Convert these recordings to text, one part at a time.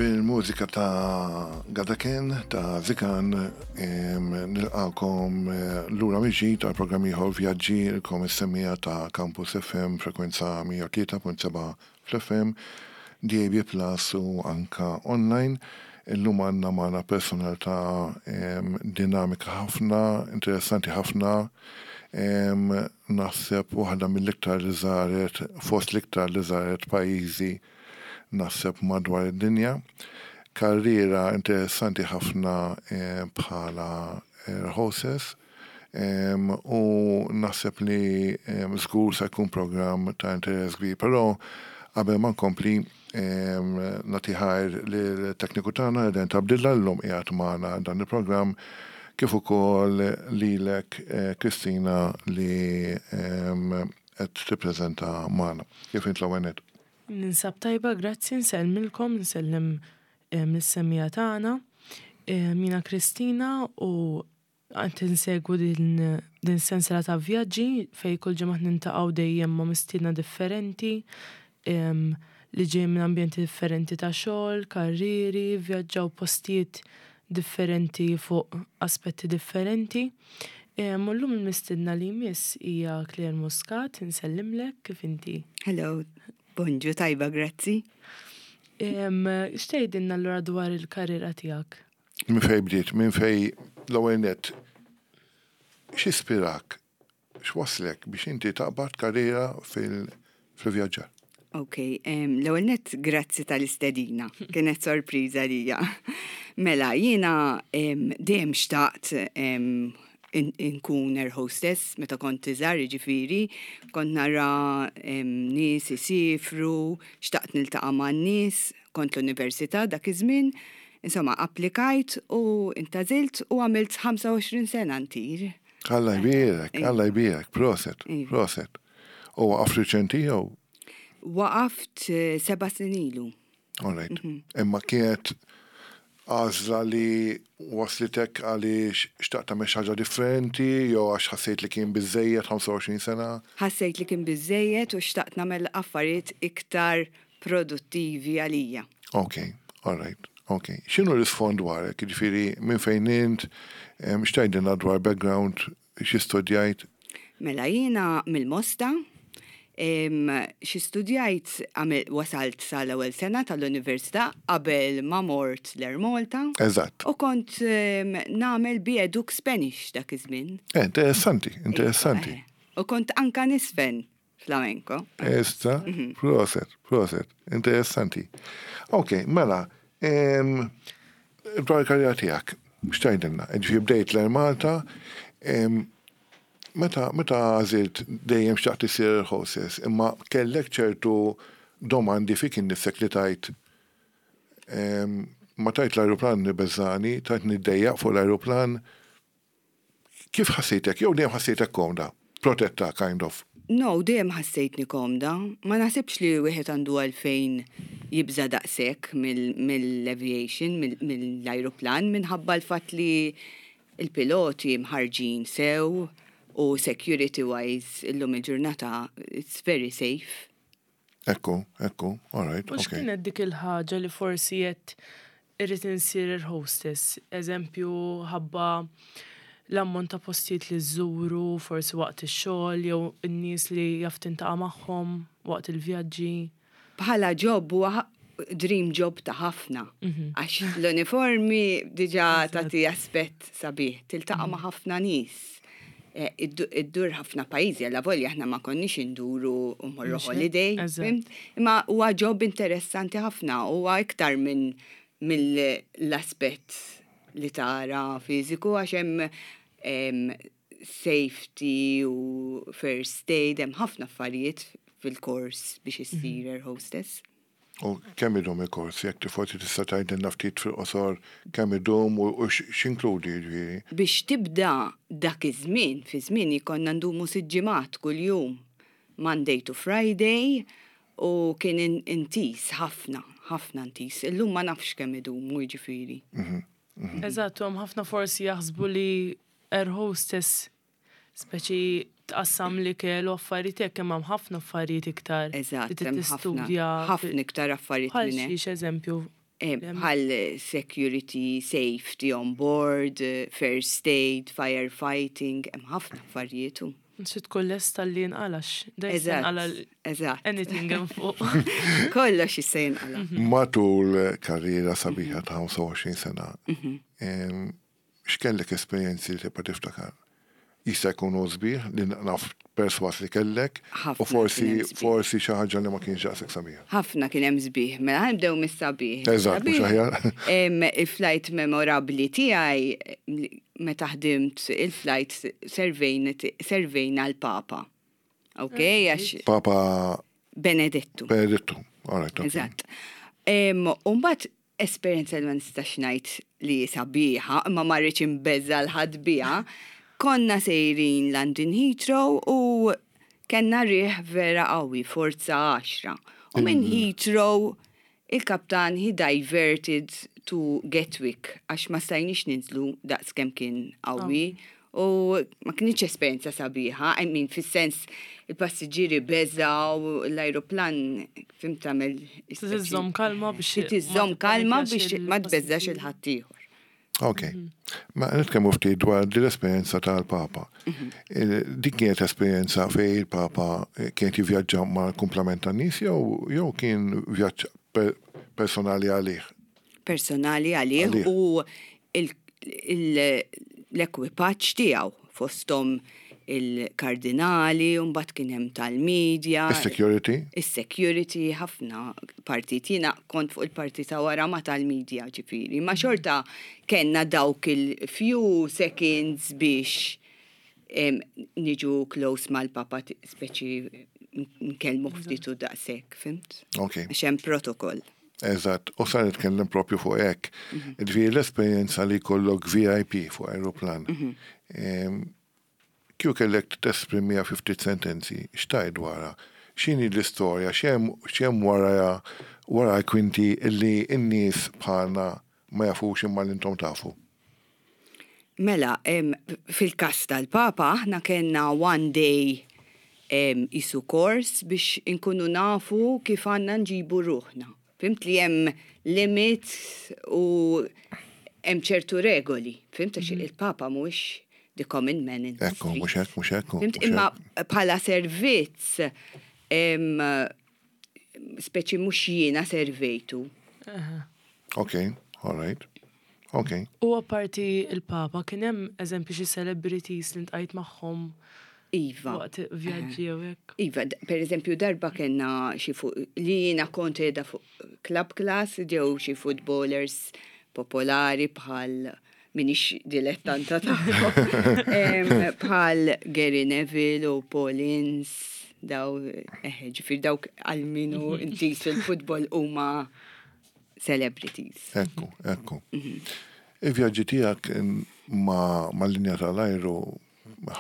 Bil-mużika ta' Gadaken ta' Zikan nilqakom lura mill-ġdid għal programm ieħor Vjaġġi lkom is-semmiegħa ta' Campus FM frekwenza 103.7 fl-FM, DAB Plus u anka online. Illum għandna magħna personalità dinamika ħafna, interessanti ħafna, naħseb waħda mill-iktar li żaret, fost l-iktar li żaret pajjiżi naħseb madwar id-dinja. Karriera interessanti ħafna bħala air hostess u naħseb li żgur se jkun programm ta' interess kbir. Però qabel ma nkompli nagħti ħajr lit-tekniku tagħna Eden Tabdilla llum qiegħed magħna dan il-programm kif ukoll lilek Kristina li qed tippreżenta magħna. Kif int l-ewwel nett? Ninsab tajba, grazzi, nsellmilkom, nsellem lis-semmiegħa tagħna. Jiena Kristina u qed insegwu din din sensiela ta' vjaġġi fejn kull ġimgħa nintaqgħu dejjem ma' mistiedna differenti li ġejjin minn ambjenti differenti ta' xogħol, karrieri, vvjaġġaw postijiet differenti fuq aspetti differenti. U llum il-mistiedna li jmiss hija Claire Muscat, insellimlek, kif inti? Hello, bonġu, tajba, grazzi. X'tgħidilna allura dwar il-karriera tiegħek? Minn fejn bdiet, minn fejn l-ewwel nett, x'ispirak X'wasslek biex inti taqbad karriera fil-vjaġġar? Ok, l-ewwel nett grazzi tal-istedina, kienet sorpriża lija. Mela, jiena dejjem xtaqt inkun air hostess meta kont iżgħar, jiġifieri, kont nara nies isifru, xtaqt niltaqa' man-nies, kont l-università dak iż-żmien, insomma applikajt u intgħażilt u għamilt 25 sena ntir. Alla jbierek, Alla jbierek, proset, iva. proset. U waqaft riċenti jew? Waqaft eh, seba snin ilu. All right. Mhm. Imma kienet għażla li waslitek għaliex xtaqt tagħmel xi ħaġa differenti jew għax ħassejt li kien biżejjed 25 sena? Ħassejt li kien biżejjed u xtaqt nagħmel affarijiet iktar produttivi għalija. Ok, all right. Ok. X'inhu l-isfond dwarek? Jiġifieri minn fejn int, x'tgħidilna dwar background, xi studjajt? Mela jiena mill-Mosta, xi studjajt wasalt sal-ewwel sena tal-università qabel ma mort l-Air Malta. Eżatt. U kont nagħmel B-Educ Spanish dak iż-żmien. Eh, interessanti, interessanti. Eh, u kont anka nisfen. Flamenco. Esta, mhm. proset, proset, interessanti. Ok, mela, dwar il-karriera tiegħek, x'tgħidilna? Ġifieri bdejt l Malta, meta meta għażilt dejjem xtaqt isir hostess, imma kellek ċertu domandi fik innifsek li tajt ma tajt l-ajruplan nibeżani, tajt niddejjaq fuq l-ajruplan, Kif ħassejtek? Jew dejjem ħassejtek komda? Protetta, kind of. No, dejjem ħassejtni komda. Ma naħsibx li wieħed għandu għalfejn jibża' daqshekk mill-aviation, mill-ajruplan, minħabba l-fatt li l-piloti mħarrġin sew u security wise illum il-ġurnata it's very safe. Ekku, ekku, all right. U x'kienet dik il-ħaġa li forsi għedt irrid insir air hostess? Eżempju, ħabba l-ammont ta' postijiet li żżuru, forsi waqt ix-xogħol, jew in-nies li jaf tintaqa' magħhom waqt il-vjaġġi. Bħala job huwa dream job ta' ħafna. Mhm. Għax l-uniformi diġa tagħti aspett sabiħ, tiltaqa' ma' ħafna nies. Eh, iddur ħafna pajjiżi, għalla volja aħna ma konniex induru u morru holiday. Imma huwa job interessanti ħafna, huwa iktar minn mill-aspett li tara fiżiku għax hemm safety u first aid, hemm ħafna affarijiet fil-kors biex issir mhm. air hostess. U kemm idum il-kors? Jekk forsi tista' tgħidilna ftit fil-qosor kemm idum u x'inkludi jiġifieri. Biex tibda dak iż-żmien, fi żmieni konna ndumu sitt ġimgħat kuljum, Monday to Friday, u kien intiż ħafna, ħafna intiż. Illum ma nafx kemm idumu jiġifieri. Eżatt, u hemm ħafna forsi jaħsbu li air hostess Speċi tqassam l-ikel u affarijiet hekk imma hemm ħafna affarijiet iktar. Eżatt, hemm ħafna. Ħafna iktar affarijiet minn hekk. Bħal xiex eżempju? Bħal security, safety on board, first aid, firefighting, hemm ħafna affarijiet. Trid tkun lesta li jinqala' da jista' jinqala' Eżatt. anything hemm fuq. Kollox jista' jinqala'. Matul karriera sabiħa ta' 25 sena, x'kellek esperjenzi li tibqa' tiftakar? Jista' jkunu sbieħ li naf perswas li kellek u forsi forsi xi ħaġa li ma kienx daqshekk sabiħa. Ħafna kien hemm sbieħ, mela ħa nibdew mis-sabiħ. Eżatt, mhux aħjar. Il-flight memorabbli tiegħi meta ħdimt il-flight servejna l-Papa. Ok, għax. Papa Benedettu. Benedettu, all right. Eżatt. U mbagħad esperjenza li ma nistax ngħid li sabiħa, imma ma rridx inbeżża' 'l ħadd biha, konna sejrin London Heathrow u kellna riħ vera qawwi, forza għaxra. U minn Heathrow il-kaptan he diverted to Gatwick għax ma stajniex ninżlu daqs kemm kien qawwi. U ma kinitx esperjenza sabiħa, I mean, fis-sens il-passiġġieri beżgħu, l-ajruplan fhimt tagħmel. Trid iżżomm kalma biex. Trid iżżomm kalma biex ma tbeżżax 'il ħaddieħor. Ok. Ma nitkellmu ftit dwar din l-esperjenza tal-Papa. Din kienet esperjenza fejn il-Papa kien jivvjaġġa mal-kumplament tan-nies jew kien vjaġġ personali għalih? Personali għalih u l-ekwipaġġ tiegħu fosthom il-kardinali, u mbagħad kien hemm tal-media. Is-security? Is-security, ħafna partit. Jiena kont fuq il-parti ta' wara ma' tal-media ġifieri. Ma xorta kellna dawk il-few seconds biex niġu close mal-Papa speċi nkellmu ftit u daqshekk, fhimt? Ok. Għax hemm protokoll. Eżatt, u sa nitkellem propju fuq hekk. Ġifieri l-esperjenza li jkollok VIP fuq aeroplan. Kieku kellek tesprimiha fi ftit sentenzi, x'tgħid dwarha? X'inhi l-istorja, x'hemm wara wara l-kwinti li n-nies bħalna ma jafux imma li intom tafu? Mela, fil-każ tal-Papa aħna kellna one day qisu course biex inkunu nafu kif għandna nġibu ruħna. Fhimt li hemm limits u hemm ċertu regoli. Fhimt għax il-Papa mhuwiex the common man in the Ekku, mhux hekk, mhux hekk. Fhimt imma bħala servizz speċi mhux jiena servejtu. Ok, all right. Ok. U apparti il-Papa, kien hemm eżempju xi celebrities li ltqajt magħhom Iva. waqt vjaġġi jew hekk? Iva, per eżempju darba kellna xi fuq li jiena kont qiegħda fuq club class ġew xi footballers popolari bħal minix dilettanta tagħhom. Bħal Gary Neville u Paul Ince, daw, ġifieri dawk għal min hu intiż fil-futbol huma celebrities. Ekku, ekku. Il-vjaġġi tiegħek ma' linja tal-ajru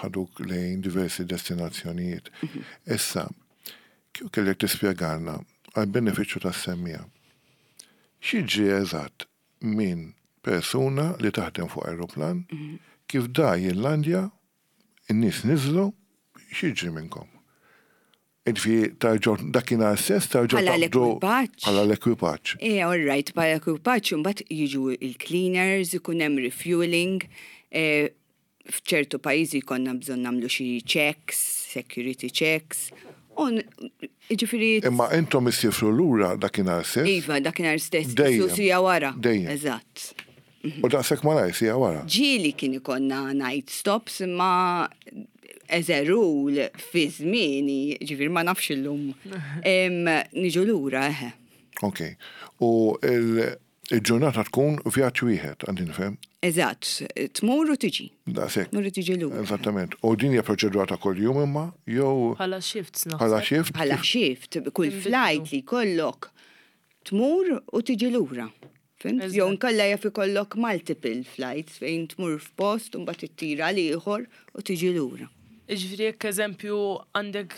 ħaduk lejn diversi destinazzjonijiet. Issa, kieku kellek tispjegalna għal benefiċċju tas-semmiegħa. X'jiġri eżatt minn persuna li taħdem fuq aeroplan, kif da jillandja, in-nies niżlu, x'jiġri minnkom? Ġifieri tarġgħu dakinhar stess tarġgħu Bħala taqbdu l-ekwipaġġ. Bħala l-ekwipaġġ. Eh, all right, bħala l-ekwipaġġ imbagħad jiġu il-cleaners, ikun hemm refueling, f'ċertu pajjiżi jkollna bżonn nagħmlu xi checks, security checks. U ġifieri. Imma intom issifru lura dakinhar stess? Iva, dakinhar stess. Dejjem. Siegħa wara. Dejjem. Eżatt. U daqshekk malajr siegħa wara. Ġieli kien ikollna night stops imma as a rule fi żmieni, ġifieri ma nafx illum. Niġu lura, eħe. Ok. U il-ġurnata tkun vjaġġ wieħed, għandi nifhem? Eżatt, tmur u tiġi. Daqshekk. Tmur u tiġi lura. Eżattament. U din hija proċedura ta' kuljum imma jew Bħala shifts naħseb. bħala shift? Bħala shift, kull flight li jkollok tmur u tiġi lura. Fhimt? Eżatt. Jew inkella jaf ikollok multiple flights fejn tmur f'post u mbagħad ittira għal ieħor u tiġi lura. Ġifieri jekk eżempju għandek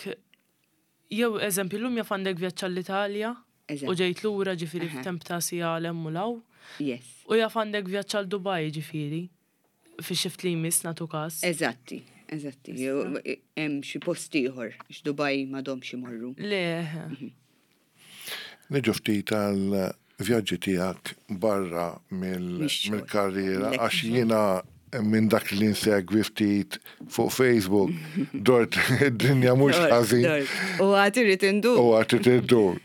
jew eżempju llum jaf għandek vjaġġ għall-Italja u Eżatt. ġejt lura ġifieri Aha. f'temp ta' siegħa 'l hemm u 'l hawn. Yes. U jaf għandek vjaġġ għal Dubai ġifieri fi shift li jmiss nagħtu każ. Eżatti, eżatti. Jew hemm xi post ieħor, għax Dubai m'għadhomx imorru. Le, Niġu ftit għal vjaġġi tiegħek barra mill-karriera għax jiena minn dak li nsegwi ftit fuq Facebook dort id-dinja mhux ħażin. U għad irid indur. U għad irid indur.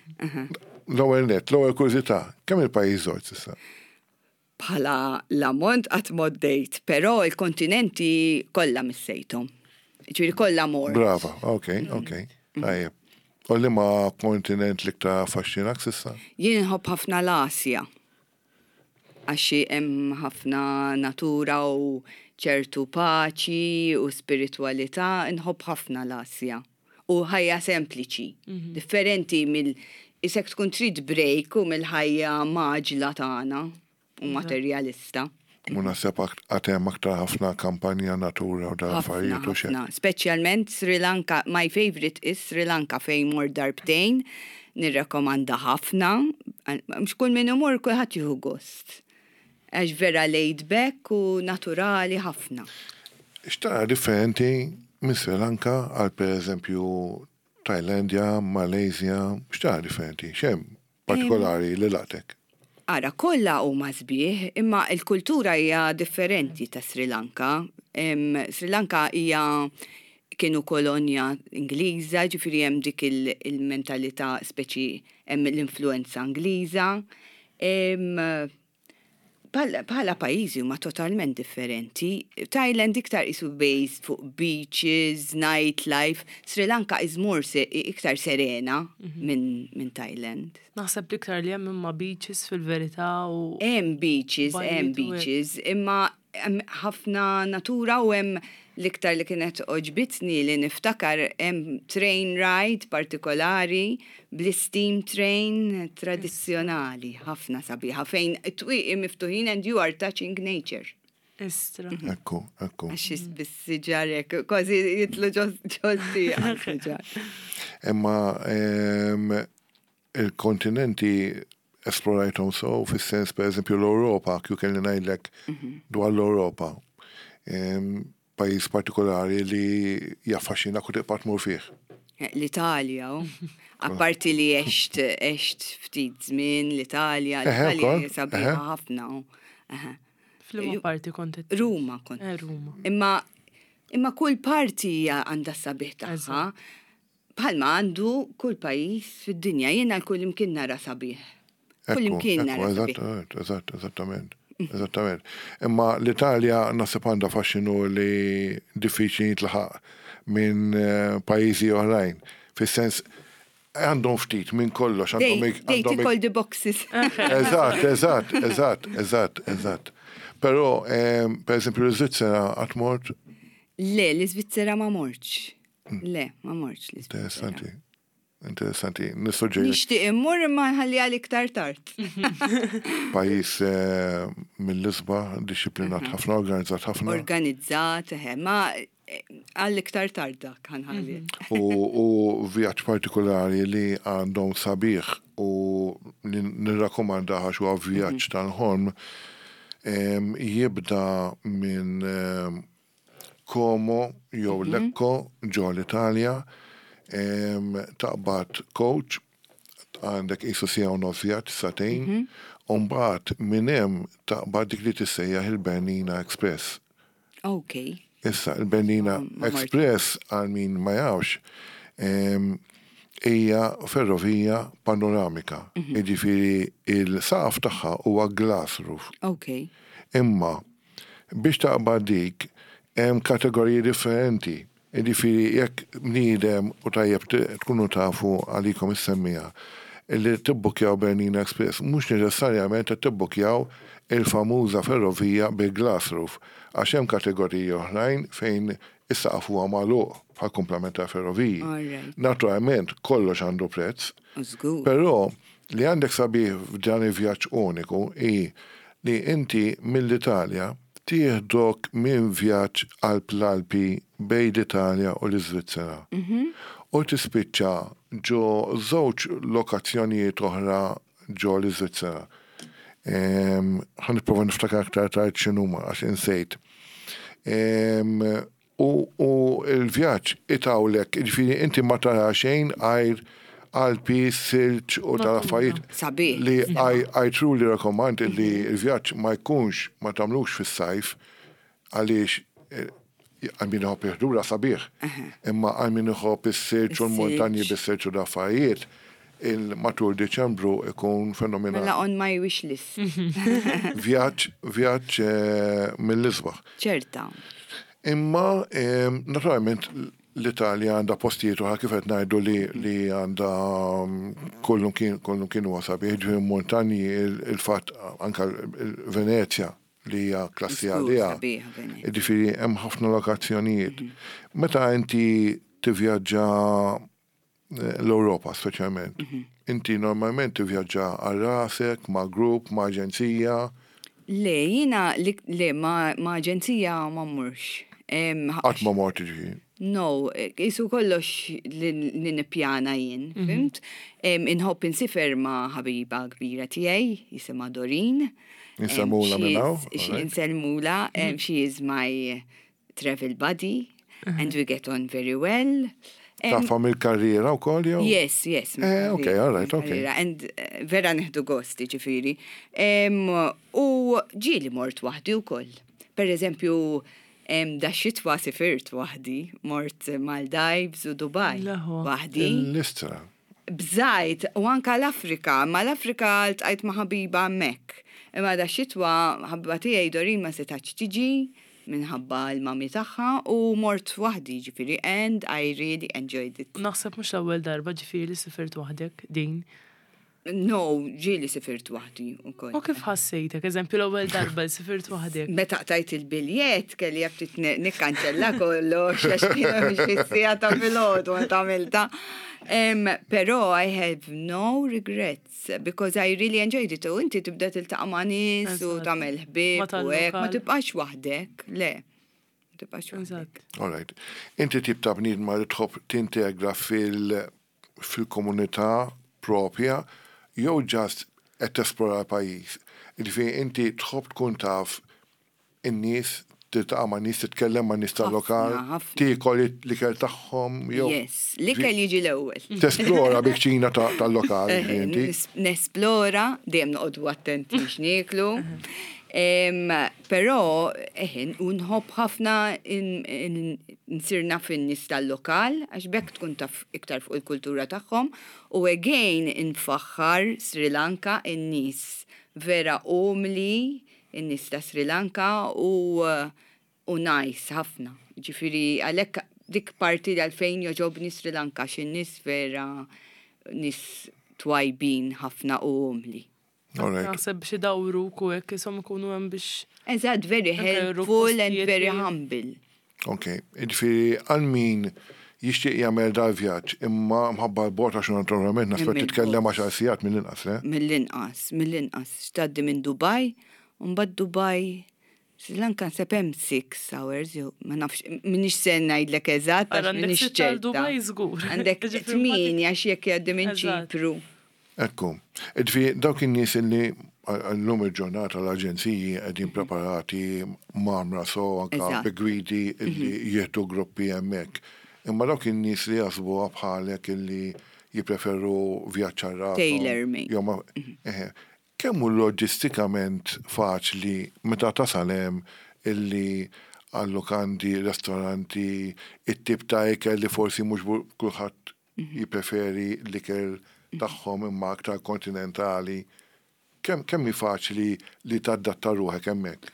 L-ewwel nett, l-ewwel kurżità, kemm il-pajjiż żort s'issa? Bħala l-ammont qatt m'għoddejt, però l-kontinenti kollha missejthom. Ġifieri kollha mort. Brava, ok, ok. Tajjeb. U liema kontinent l-iktar affaxxinak s'issa? Jien inħobb ħafna l-Asja. Għax hemm ħafna natura u ċertu paċi u spiritwalità, inħobb ħafna l-Asja. U ħajja sempliċi, differenti mill isek tkun trid break u mill-ħajja mgħaġġla tagħna u materjalista. U naħseb għad hemm aktar ħafna kampanja natura u dawn l-affarijiet u x'hekk. Ħafna, speċjalment Sri Lanka, my favourite is Sri Lanka fejn mort darbtejn, nirrakkomanda ħafna, mhux kull min imur kulħadd jieħu gost. Għax vera laid back u naturali ħafna. X'tara differenti minn Sri Lanka għal pereżempju Tajlandja, Malaysia, x'tara differenti? X'hemm partikolari li laqtek? Ara, kollha huma sbieħ, imma l-kultura hija differenti ta' Sri Lanka. Sri Lanka hija kienu kolonja Ingliża, ġifieri hemm dik il-mentalità speċi hemm l-influenza Ingliża. Bħala pajjiżi huma totalment differenti. Thailand iktar qisu based fuq beaches, nightlife. Sri Lanka is more iktar serena minn Thailand. Naħseb l-iktar li hemm imma beaches fil-verità u. Hemm beaches, hemm beaches, imma Hemm ħafna natura u hemm l-iktar li kienet għoġbitni li niftakar hemm train ride partikolari bl-steam train tradizzjonali ħafna sabiħa fejn it-twieqi miftuħin and you are touching nature. Istra. Ekku, ekku. Għax bis-siġar hekk, kważi jitlu ġo siġar. Imma Il-kontinenti esplorajthom sew fis-sens pereżempju l-Ewropa, kieku kelli ngħidlek dwar l-Ewropa, pajjiż partikolari li jaffaxxinak u tibqa' tmur fih. L-Italja, apparti li għext għext ftit żmien l-Italja, l-Italja hija sabiħa ħafna. F'liema parti kont? Ruma kont. Ruma. Imma imma kull parti hija għandha s-sabiħ tagħha. Bħalma għandu kull pajjiż fid-dinja, jiena kull imkien nara sabiħ. Kull imkien nara sabiħ. Eżatt, eżatt, eżattament. Eżattament. Imma l-Italja naħseb għandha faxxinu li diffiċli jintlaħaq minn eh, pajjiżi oħrajn. Fis-sens għandhom ftit minn kollox. They tick all the boxes. Eżatt, eżatt, eżatt, eżatt, eżatt. Però, eh, per eżempju, l-Iżvizzera qatt mort? Le, l-Iżvizzera ma mortx. Le, ma mortx l Interessanti. Interessanti. Nissuġġeri. Nixtieq immur imma nħalli għal iktar tard. Pajjiż eh, mill-isba, disciplinat mhm. ħafna, organizzat ħafna. Organizzat, eħe, ma eh, għal iktar tard dak ħanħalli. Mhm. U vjaġġ partikolari li għandhom sabiħ u li nirrakkomanda għax huwa vjaġġ mhm. tal-ħolm jibda minn Como jew Lecco ġo l-Italja, taqbad coach, għandek qisu siegħa u nofs vjaġġ, sagħtejn, u mbagħad minn hemm taqbad dik li tissejjaħ il-Bernina Express. Ok. Issa, il-Bernina Express, għal min ma jafx, hija ferrovija panoramika. Jiġifieri il-saqaf tagħha huwa glass roof. Ok. Imma Biex taqbad dik, hemm kategoriji differenti. Jiġifieri jekk bniedem, u tajjeb tkunu tafu għalikom is-semmiegħa, li tibbukkjaw Bernina Express, mhux neċessarjament qed tibbukkjaw il-famuża ferrovija bi glass roof, għax hemm kategoriji oħrajn fejn is-saqaf huwa magħluq bħall-kumplament tal-ferroviji. Naturalment kollox għandu prezz, però Li għandek sabiħ f'dan il-vjaġġ uniku hi li inti mill-Italja tieħdok minn vjaġġ qalb l-Alpi bejn l-Italja u l-Iżvizzera u tispiċċa ġo żewġ lokazzjonijiet oħra ġo l-Iżvizzera. Ħa nipprova niftakar aktar tard x'inhuma għax insejt. U u l-vjaġġ itawlek, jiġifieri inti ma tara xejn għajr Alpi, silġ u tal-affarijiet. Sabiħ. Li I truly recommend li l-vjaġġ ma jkunx, ma tagħmlux fis-sajf għaliex għal min iħobb il-ħdura sabiħ. Imma għal min iħobb is-silġ u l-muntanji bis-silġ u l-affarijiet, matul Diċembru ikun fenomenali. Mela on my wish list. Vjaġġ, vjaġġ mill-isbaħ. Ċerta. Imma naturalment l-Italja għandha postijiet oħra kif qed ngħidu li li għandha kollu kien kollu kien huwa sabiħ, ġifieri montanji il-fatt anke Venezja li hija klassi għaliha. Ġifieri hemm ħafna lokazzjonijiet. Meta inti tivvjaġġa l-Ewropa speċjalment, inti normalment tivvjaġġa għal rasek, ma' grupp, ma' aġenzija? Le, jiena le ma' aġenzija ma mmurx. Qatt ma mort jiġifieri? No, qisu kollox li nippjana jien, fhimt? Inħobb insifer ma' ħabiba kbira tiegħi, jisimha Doreen. Insellmulha minn hawn. Insellmulha, she is my travel buddy and we get on very well. Tafha mill-karriera wkoll jew? Yes, yes. Eh, ok, all right, ok. And vera nieħdu gost, jiġifieri. U ġieli mort waħdi wkoll. Per eżempju, da xitwa sifirt waħdi, mort Maldives u Dubai. Waħdi. L-istra. Bżajt, u anka l-Afrika, ma l-Afrika ltqajt ma' ħabiba hemmhekk. Imma da xitwa ħabiba tiegħi Doreen ma setgħetx tiġi minħabba l-mami tagħha u mort waħdi ġifieri and I really enjoyed it. Naħseb mhux l-ewwel darba ġifieri li sifirt waħdek din. No, ġieli sifirt waħdi wkoll. U kif ħassejtek, eżempju l-ewwel darba li sifirt waħdek? Meta qtajt il-biljett kelli ftit nikkanċella kollox għax kienu xi siegħa ta' filgħodu meta għamiltha. Però I have no regrets because I really enjoyed it. U inti tibda tiltaqa' ma' nies u tagħmel ħbieb u hekk, ma tibqax waħdek, le. Ma tibqax waħdek. All right. Inti tip ta' bniedma li tħobb tintegra fil fil-komunità propja jew just qed tesplora l-pajjiż? Jiġifieri inti tħobb tkun taf in-nies, tiltaqa' man-nies, titkellem man-nies tal-lokal, tiekol l-ikel tagħhom jew. Yes, l-ikel jiġi l-ewwel. Tesplora bi-kċina tal-lokal jiġifieri inti. Nesplora, dejjem noqogħdu attenti x'nieklu. Però eħe, u nħobb ħafna nsir naf in-nies tal-lokal għax b'hekk tkun taf iktar fuq il-kultura tagħhom u again infaħħar Sri Lanka in-nies vera umli in-nies ta' Sri Lanka u u nice ħafna. Ġifieri għalhekk dik parti għalfejn jogħġobni Sri Lanka għax in-nies vera nies twajbin ħafna u umli. Naħseb biex idawruk u hekk isom ikunu hemm biex. Eżatt, very helpful and very humble. Ok, jiġifieri għal min jixtieq jagħmel dal-vjaġġ imma mħabba l-bogħod għax naturalment naħseb titkellem għaxar sigħat mill-inqas, le? Mill-inqas, mill-inqas. Tgħaddi minn Dubai, u mbagħad Dubai Sri Lanka naħseb hemm 6 hours jew ma nafx m'iniex se ngħidlek eżatt għax m'iniex ċerta. Dubai żgur. Għandek 8 għax jekk jgħaddi minn Ċipru. Ekku. Ġifieri dawk in-nies illi llum il-ġurnata l-aġenziji qegħdin preparati mgħammra so anke bi gwidi illi jieħdu gruppi hemmhekk. Imma dawk in-nies li jaħsbuha bħalek illi jippreferu vjaġġ għal rashom. Tailor made. Kemm hu loġistikament faċli meta tasal hemm illi għal-lukandi, restoranti, it-tip ta' ikel li forsi mhux kulħadd jippreferi l-ikel tagħhom imma aktar kontinentali. Kemm kemm hi faċli li tadatta ruħek hemmhekk?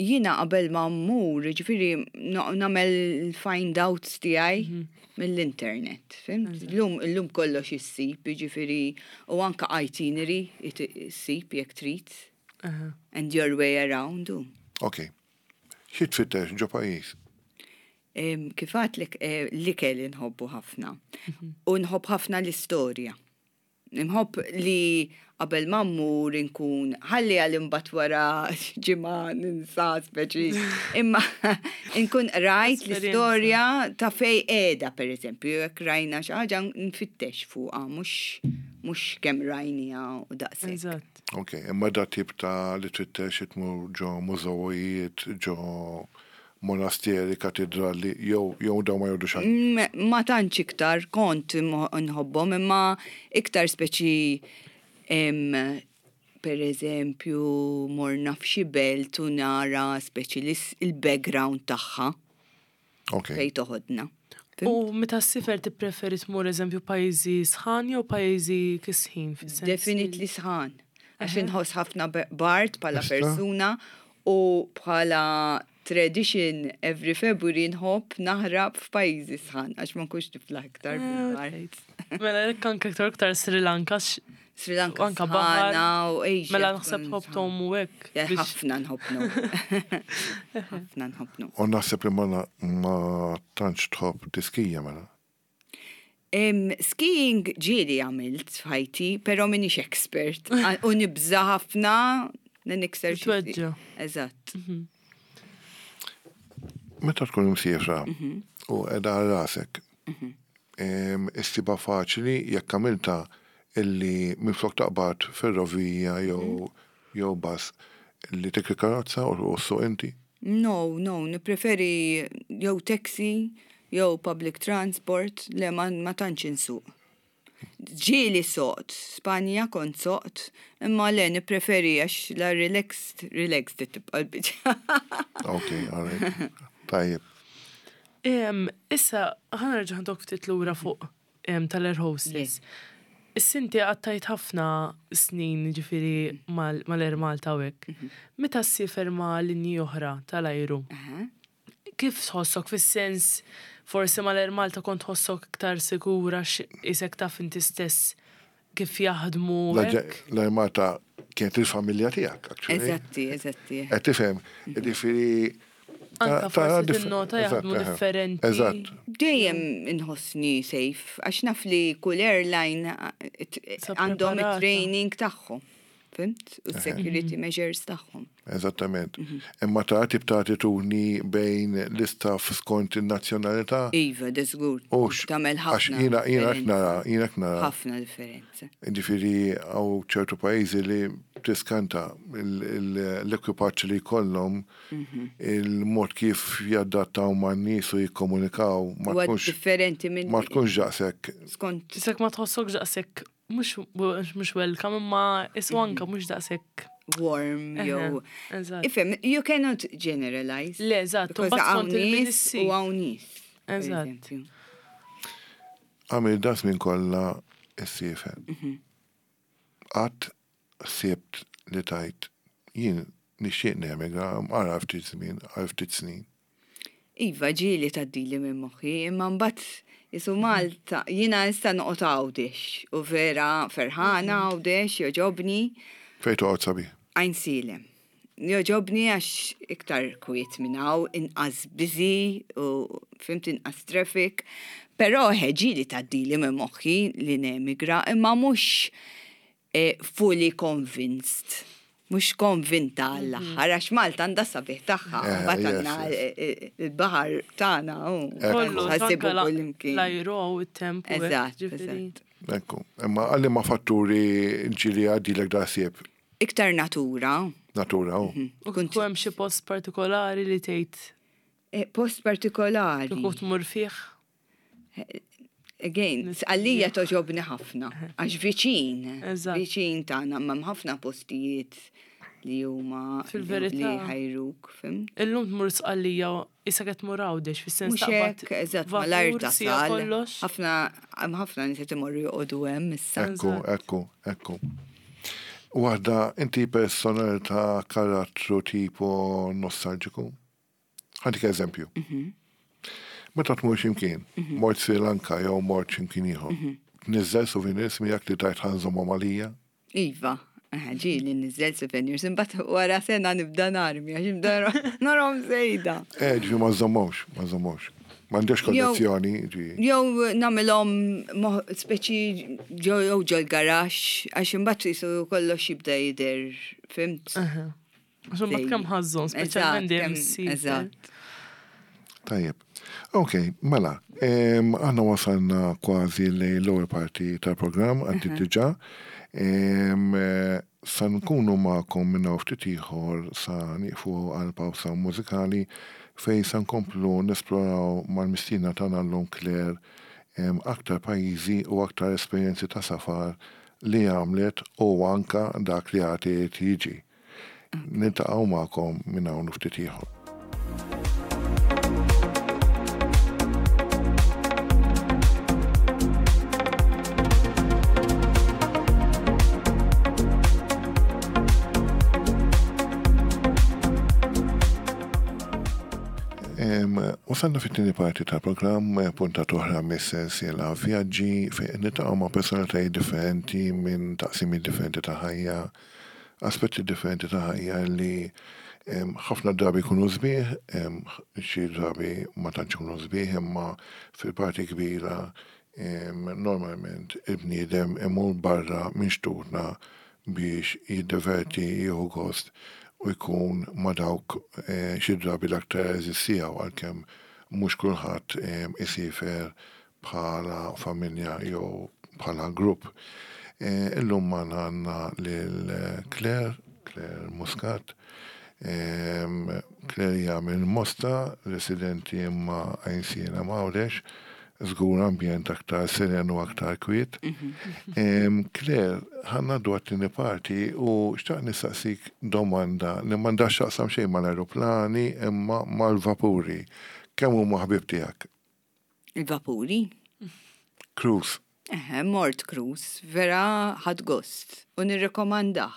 Jiena qabel ma mmur, jiġifieri nagħmel il-find outs tiegħi mill-internet, fhimt? Illum illum kollox issib, jiġifieri u anke itinerary issib jekk trid. And your way around u. Ok. Xi tfittex ġo pajjiż? Kif għedtlek l-ikel inħobbu ħafna. U nħobb ħafna l-istorja. Inħobb li qabel ma mmur inkun ħalli għal imbagħad wara ġimgħa ninsa speċi. Imma inkun qrajt l-istorja ta' fej qiegħda pereżempju, jekk rajna xi ħaġa nfittex fuqha mhux mhux kemm rajniha u daqshekk. Eżatt. Ok, imma da tip ta' li tfittex tmur ġo mużewijiet, ġo. monasteri, katidrali, jew jew dawn ma jgħoddux għalik? Mm, ma tantx iktar kont nħobbhom imma iktar speċi per eżempju morna f'xi belt u nara speċi il-background tagħha. Ok. Fejn toħodna. U meta ssifer tippreferi tmur eżempju pajjiżi sħan jew pajjiżi kisħin? Definitely sħan. Għax inħoss ħafna bard bħala persuna u bħala tradition every February nħobb naħrab f'pajjiżi sħan għax ma nkunx niflaħ iktar eh, bil-bard. Mela hekk anke iktar iktar Sri Lanka Sri Lanka anka baħar u Asia. Mela naħseb ħobb u hekk. Ħafna nħobb Ħafna nħobb U naħseb li ma tantx tħobb tiskija mela. Skiing ġieli għamilt f'ħajti, pero minix expert. U nibża ħafna li nikser xi. Eżatt. Mhm. Meta tkun imsiefra mhm. u qiegħda għal rasek, mhm. issibha faċli jekk għamilta illi minflok taqbad ferrovija jew jew bus li tikri karozza u ssuq inti? No, no, nippreferi jew taxi jew public transport, le ma, ma tantx insuq. Ġieli soqt, Spanja kont soqt, imma le nippreferi għax la relaxed, relaxed tibqa' l-biċċa. Ok, all right. Tajjeb. Issa, ħa nerġa' ħadok ftit lura fuq tal-air hostess. Issa inti qattajt ħafna snin ġifieri mal-Air Malta u hekk. Mhm. Meta ssiefer ma' linji oħra tal-ajru, kif tħossok fis-sens forsi mal-Air Malta kont tħossok iktar sikura isek taf inti stess kif jaħdmu. L-Air Malta kienet il-familja tiegħek, actually. Eżatti, eżatti. Qed tifhem, ġifieri Anka forsi tinnota jaħdmu differenti. Eżatt. Dejjem inħossni safe, għax naf li kull airline għandhom it-training tagħhom. Fhimt? U security measures tagħhom. Eżattament. Mhm. Imma ta' tip ta' attitudni bejn l-istaff skont in-nazzjonalità? Iva, da żgur. Tagħmel ħafna. Għax jiena jiena nara, jiena nara. Ħafna differenza. Ġifieri hawn ċertu pajjiżi li tiskanta l-ekwipaġġ li jkollhom mhm. il-mod kif jadattaw man-nies u jikkomunikaw ma tkunx differenti minn ma tkunx daqshekk. Skont. Isek ma tħossok daqshekk mhux welcome imma isu anka mhux daqshekk warm jew. Ifhem, you cannot generalize. Le, eżatt, u hawn nies u hawn nies. Eżatt. Għamil das minn kollha issiefer. Mhm. Qatt ħsibt li tgħid jien nixtieq nemigra għal ftit żmien, għal ftit snin? Iva, ġieli tgħaddili minn moħħi, imma mbagħad isu Malta, jiena issa noqgħod Għawdex u vera ferħana Għawdex, jogħġobni. Fejn toqgħod sabiħ? Għajnsielem. Jogħġobni għax iktar kwiet minn hawn, inqas busy u fhimt inqas traffic. Però eħe ġieli tgħaddili minn moħħi li nemigra imma mhux eh, fully convinced. Mhux konvinta għall-aħħar għax Malta għandha sabiħ tagħha, eh, mbagħad għandna eh, il-baħar tagħna u kollu ħassibu kullimkien. L-ajru u t-temp. Eżatt, eżatt. Ekku, imma għalli ma fatturi ġili għaddilek da sieb. Iktar natura. Natura, u. Mhm. U kont hemm xi post partikolari li tgħid? Eh, post partikolari. Kieku tmur fih? Again, għalija toġobni ħafna, għax viċin, viċin tagħna, ma ħafna postijiet li huma fil-verità li ħajruk, fim? Illum tmur sqallija issa qed tmur għawdex fis-sens ta' hekk, eżatt, mal-art tasal. Ħafna hemm ħafna nies qed imorru joqogħdu hemm issa. Ekku, ekku, ekku. Waħda, inti personalità karattru tipo nostalġiku? Ħantik eżempju. Mhm. Meta tmur x'imkien, mhm. mort Sri Lanka jew mort x'imkien ieħor, mhm. tniżżel souvenirs miegħek li tajt ħanżomhom għalija? Iva, ġieli nniżżel souvenirs, imbagħad wara sena nibda narmi għax nibda narhom żejda. Eh, ġifi ma żommhomx, ma żommhomx. M'għandekx kollezzjoni, ġi. Jew nagħmilhom speċi jew ġol garaxx għax imbagħad jisu kollox jibda jidher, fimt? Għax imbagħad kemm ħażżhom, speċjalment dejjem issir. Eżatt. Tajjeb. Ok, mela, aħna wasalna kważi lejn l-ewwel parti tal-programm għaddiet diġà. Sa nkunu magħkom minn hawn ftit ieħor sa nieqfu għal pawsa mużikali fejn sa nkomplu nesploraw mal-mistiedna tagħna llum Claire aktar pajjiżi u aktar esperjenzi ta' safar li għamlet u anka dak li għad irid jiġi. Niltaqgħu magħkom minn hawn u ftit ieħor. Wasalna fit-tieni parti tal-programm, puntat oħra mis-sensiela Vjaġġi fejn niltaqgħu ma' personalitajiet differenti minn taqsimiet differenti ta' ħajja, aspetti differenti ta' ħajja li ħafna drabi jkunu sbieħ, xi drabi ma tantx ikunu sbieħ, imma fil-parti kbira normalment il-bniedem imur barra minn xtutna biex jiddeverti, jieħu gost u jkun ma' dawk xi drabi l-aktar għeżież tiegħu għalkemm mhux kulħadd isiefer bħala familja jew bħala grupp. Illum magħna għandna lil Claire, Claire Muscat. Claire hija minn Mosta, residenti imma Għajnsielem Għawdex, żgur ambjent aktar seren u aktar kwiet. Claire, ħa ngħaddu għat-tieni parti u xtaqt nistaqsik domanda li m'għandha x'taqsam xejn mal-ajruplani imma mal-vapuri. Kemm huma ħbieb tiegħek? Il-vapuri. Cruise. Eħe, mort cruise, vera ħadt gost u nirrekomandah.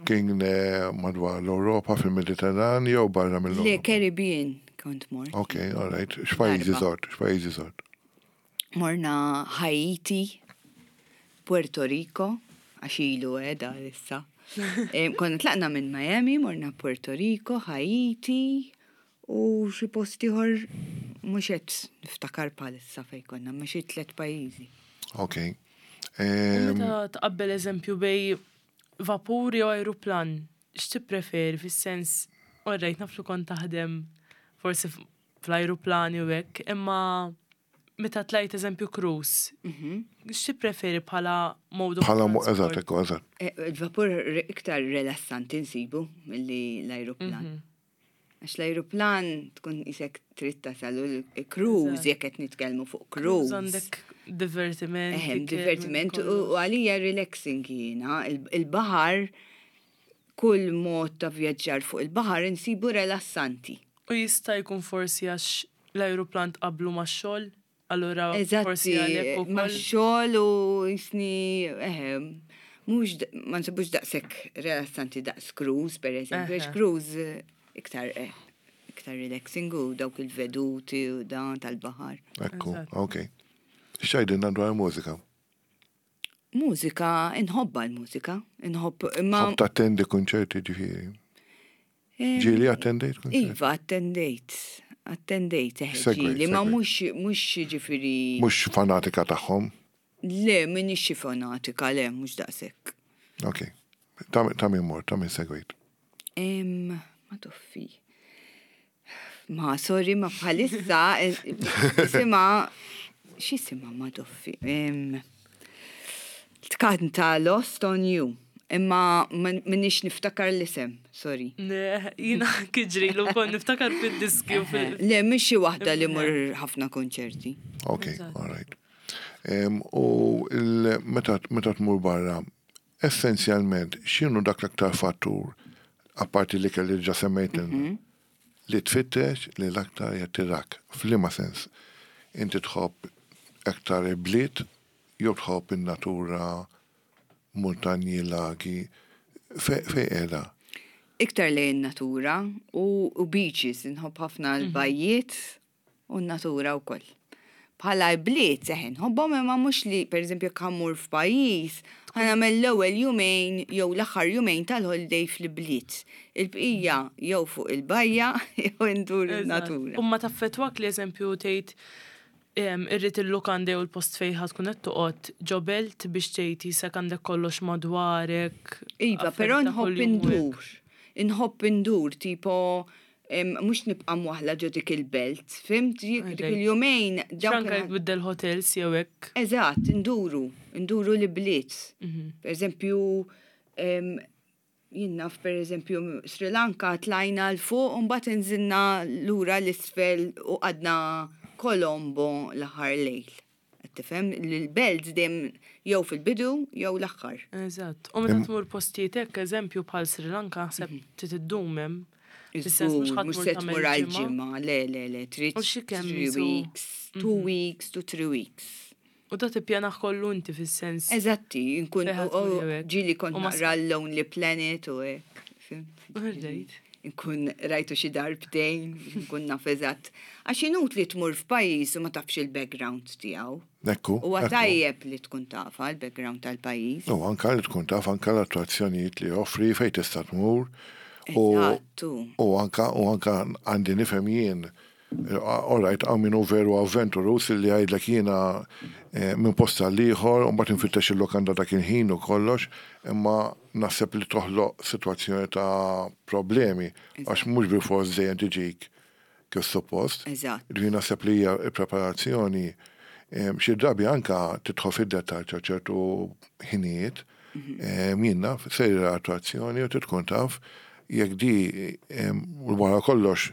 Kien eh, madwar l-Ewropa fil-Mediterran jew barra mill-Ewropa? Le, Caribbean kont mort. Ok, all right. X'pajjiżi żort? X'pajjiżi żort? Morna Haiti, Puerto Rico, għax ilu eh, da issa. Eh, konna tlaqna minn Miami, morna Puerto Rico, Haiti, U xi post ieħor mhux qed niftakar bħalissa fejn konna, ma xi tlett pajjiżi. Ok. Meta tqabbel eżempju bej vapur jew ajruplan, x'tippreferi fis-sens, orrejt naf li kont taħdem forsi fl-ajruplani u hekk, imma meta tlajt eżempju cruise, mhm. x'tippreferi bħala mode of Bħala eżatt, ekku, eżatt. Eh, il-vapur iktar rilassanti nsibu milli l-ajruplan. Mhm. Għax l-ajruplan tkun isek trid tasal u l-cruise jekk qed nitkellmu fuq cruise. Għandek divertiment. Ehem, divertiment u għalija relaxing jiena. Il-baħar kull mod ta' vjaġġar fuq il-baħar insibu relassanti. U jista' jkun forsi għax l-ajruplan tqabblu max-xogħol? Allura forsi għalhekk ukoll. Max-xogħol u jisni eħe, mhux ma nsibux daqshekk rilassanti daqs cruise pereżempju, għax cruise iktar eh, iktar relaxing u dawk il-veduti u dan tal-baħar. Ekku, ok. X'għidilna dwar mużika? Mużika, inħobba l-mużika, inħobb imma. Tħobb tattendi kunċerti ġifieri. Ġieli attendejt kunċert? Iva, attendejt. Attendejt, eh, ġieli, ma mhux mhux ġifieri. Mhux fanatika tagħhom? Le, m'iniex xi fanatika, le, mhux daqshekk. Ok. Ta' min mort, ta' min segwejt? Ma toffi. Ma, sorry, ma bħalissa, sima, x'isima ma toffi? Tkanta Lost on You. Imma minix niftakar l-isem, sorry. Ne, jina kiġri l kol niftakar fil-diski u fil. Le, mhix xi waħda li mur ħafna konċerti. Ok, all right. U meta tmur barra, Essenzjalment, x'inhu dak l-aktar fattur, apparti l-ikel li diġà semmejtilna, mhm. li tfittex li l-aktar jattirak? F'liema sens? Inti tħobb aktar il-bliet jew tħobb in-natura, muntanji, lagi, fejn qiegħda? Iktar lejn in-natura u beaches, inħobb ħafna mhm. l-bajjiet U n-natura wkoll. Bħala bliet, eħe, nħobbhom imma mhux li, pereżempju, jekk ħa mmur f'pajjiż, ħa nagħmel l-ewwel jumejn jew l-aħħar jumejn tal-holiday fl-ibliet. Il-bqija jew fuq il-bajja jew indur in-natura. U ma taffettwak li eżempju tgħid irrid il-lukanda jew il-post fejn ħa tkun qed toqgħod ġo belt biex tgħid jisek għandek kollox madwarek. Iva, però nħobb indur. Inħobb indur, tipo mhux nibqa' mwaħla ġo dik il-belt, fimt? Dik il-jumejn. Anke jekk tbiddel hotels jew hekk. Eżatt, induru, induru l-ibliet. Mhm. Per eżempju, Jien naf pereżempju Sri Lanka tlajna 'l fuq u mbagħad inżilna lura 'l isfel u qgħadna Colombo l-aħħar lejl. Qed tifhem? L-belt dejjem jew fil-bidu jew l-aħħar. Eżatt. U meta tmur postijiet hekk, eżempju bħal Sri Lanka naħseb trid iddum hemm. Fis-sens mhux ħa tmur tagħmel ġimgħa. għal ġimgħa, le le le, trid three weeks, two weeks to three weeks. U da tippjanah kollu inti fis-sens. Eżatti, nkun ġieli kont naqra l-Lonely Planet u hekk. Rejt. Nkun rajtu xi darbtejn, nkun naf eżatt. Għax inutli tmur f'pajjiż u ma tafx il-background tiegħu. Ekku. Huwa tajjeb li tkun tafha l-background tal-pajjiż. U anka li tkun taf anka l-attrazzjonijiet li joffri fejn tista' tmur. Eżattu. U anka u anka għandi nifhem jien All right, hawn min hu veru avventuruż illi jgħidlek jiena minn post għall-ieħor u mbagħad infittex il-lukanda dak il-ħin u kollox, imma naħseb li toħloq sitwazzjoni ta' problemi għax mhux bilfors dejjem tiġik kif suppost. Eżatt. Jiġifieri naħseb li hija l-preparazzjoni xi drabi anke tidħol fid-dettall ta' ċertu ħinijiet Jien naf, sejra attrazzjoni u trid tkun taf jekk di wara kollox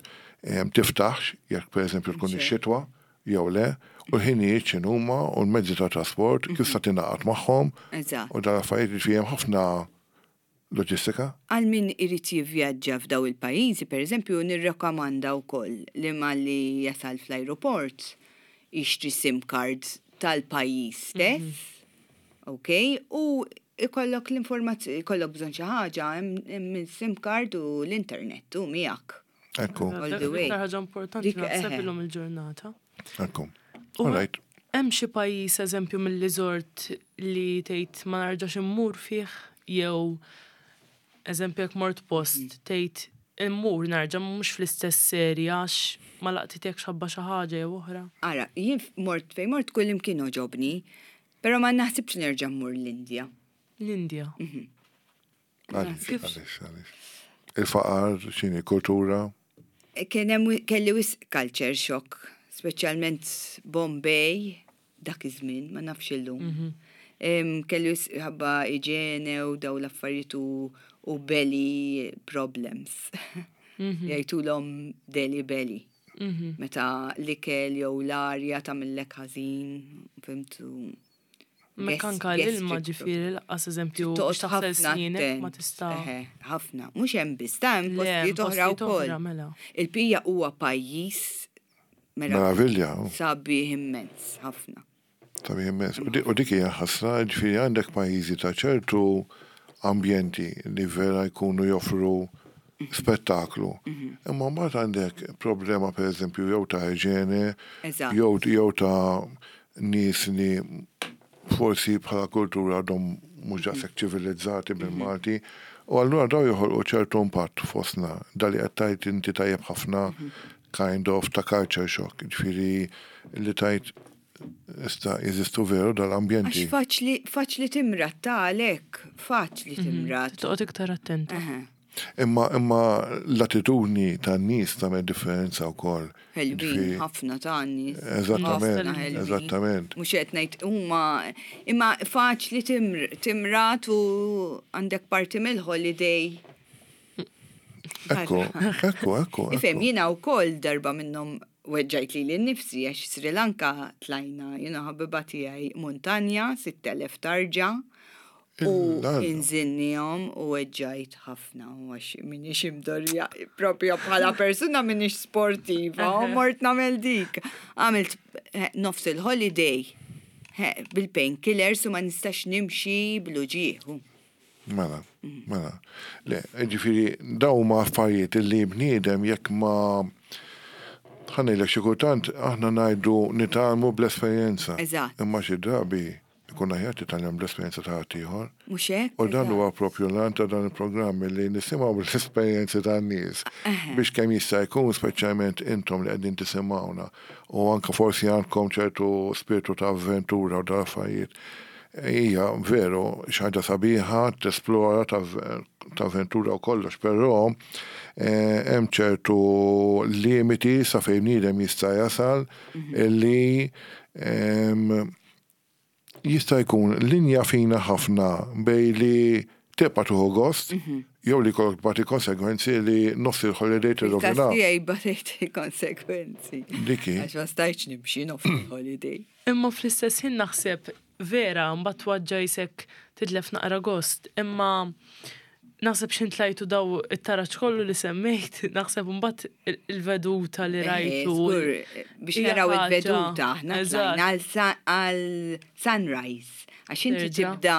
tiftaħx, jekk pereżempju tkun ix-xitwa jew le, u l-ħinijiet x'inhuma u l-mezzi ta' trasport kif sa tingħaqad magħhom. Eżatt. U dawn l-affarijiet jiġifieri hemm ħafna loġistika. Għal min irid jivvjaġġa f'daw il-pajjiżi, pereżempju, nirrakkomanda wkoll li malli jasal fl-ajruport jixtri sim card tal-pajjiż stess. Ok, u ikollok l-informazzjoni, ikollok bżonn xi ħaġa, hemm il-SIM card u l-internet u miegħek. Ekku. All the way. Dik ħaġa importanti naħseb illum il-ġurnata. Ekku. All right. Hemm xi pajjiż eżempju milli żort li tgħid ma narġax immur fih jew eżempju jekk mort post mm. tgħid immur nerġa' mhux fl-istess serja għax ma laqtitekx ħabba xi ħaġa jew oħra. Ara, jien mort fejn mort kull imkien oġobni, Però ma naħsibx nerġa' mmur l-Indja. L-Indja. Mhm. Għaliex, għaliex, għaliex. Il-faqar, x'inhi kultura? Kien hemm kelli wisq culture shock, speċjalment Bombay dak iż-żmien, ma nafx illum. Mhm. Kelli wisq ħabba iġene u daw l-affarijiet u belly problems. Mhm. Jgħidulhom Delhi belly. Meta l-ikel jew l-arja tagħmillek ħażin, fimtu. Mek anka l-ilma ġifieri laqqas eżempju toqgħod ħafna ma tista'. Ħafna, mhux hemm biss, ta' hemm postijiet oħra wkoll. Mela. Il-pija huwa pajjiż meravilja. Sabiħ immens, ħafna. Sabiħ immens. U dik hija ħasra, ġifieri għandek pajjiżi ta' ċertu ambjenti li vera jkunu joffru spettaklu. Imma mbagħad għandek problema pereżempju jew ta' iġene, jew jew ta' nies li forsi bħala kultura għadhom mhux daqshekk ċivilizzati bil-Malti. U allura daw joħolqu ċertu impatt fostna. Da li qed tgħid inti tajjeb ħafna kind of ta' culture shock, ġifieri li tgħid issa jeżistu veru dal-ambjenti. Għax faċli, faċli timrad ta' għalhekk, faċli mhm. timrad. Toqgħod iktar attenta. Imma imma l-attitudni tan-nies tagħmel differenza wkoll. Ħelwin ħafna ta' nies. Eżattament, eżattament. Mhux qed ngħid huma imma faċli timrad u għandek parti mill-holiday Ekku, ekku, ekku. Ifhem, jiena wkoll darba minnhom weġġajt lili nnifsi għax Sri Lanka tlajna jiena ħabiba tiegħi muntanja 6000 tarġa u inżinnihom u weġġajt ħafna u għax minix imdorrija propja bħala persuna minix sportiva u mort nagħmel dik. Għamilt eh, nofs il-holiday eh, bil-painkillers u ma nistax nimxi bl-uġieħu. Mela, mela. Le, ġifieri dawn huma affarijiet li bniedem jekk ma ħa ngħidlek xi kultant aħna ngħidu nitgħallmu bl-esperjenza. Eżatt. Imma xi drabi ikun aħjar titgħallem bl-esperjenza ta' ħaddieħor. Mhux hekk? U dan huwa propju l-għan ta' dan il-programm li nisimgħu l-esperjenzi tan-nies biex kemm jista' jkun speċjalment intom li qegħdin tisimgħuna u anke forsi għandkom ċertu spirtu ta' avventura u dal-affarijiet. Hija veru xi ħaġa sabiħa tesplora tavventura u kollox, però hemm ċertu limiti sa fejn bniedem jista' jasal li jista' jkun linja fina ħafna bejn li. Tibqa' tieħu gost jew li jkollok tbati konsegwenzi li nofs il-holiday tirrovina. Tiegħi batejt il-konsegwenzi. Diki. Għax ma stajtx nimxi nofs il-holiday. Imma fl-istess ħin naħseb vera mbagħad twaġġa' jisek titlef naqra gost, imma naħseb x'ħin tlajtu daw it-taraġ kollu li semmejt, naħseb mbagħad il-veduta li rajtu. Żgur, biex naraw il-veduta, aħna tlajna għal sunrise. Għax inti tibda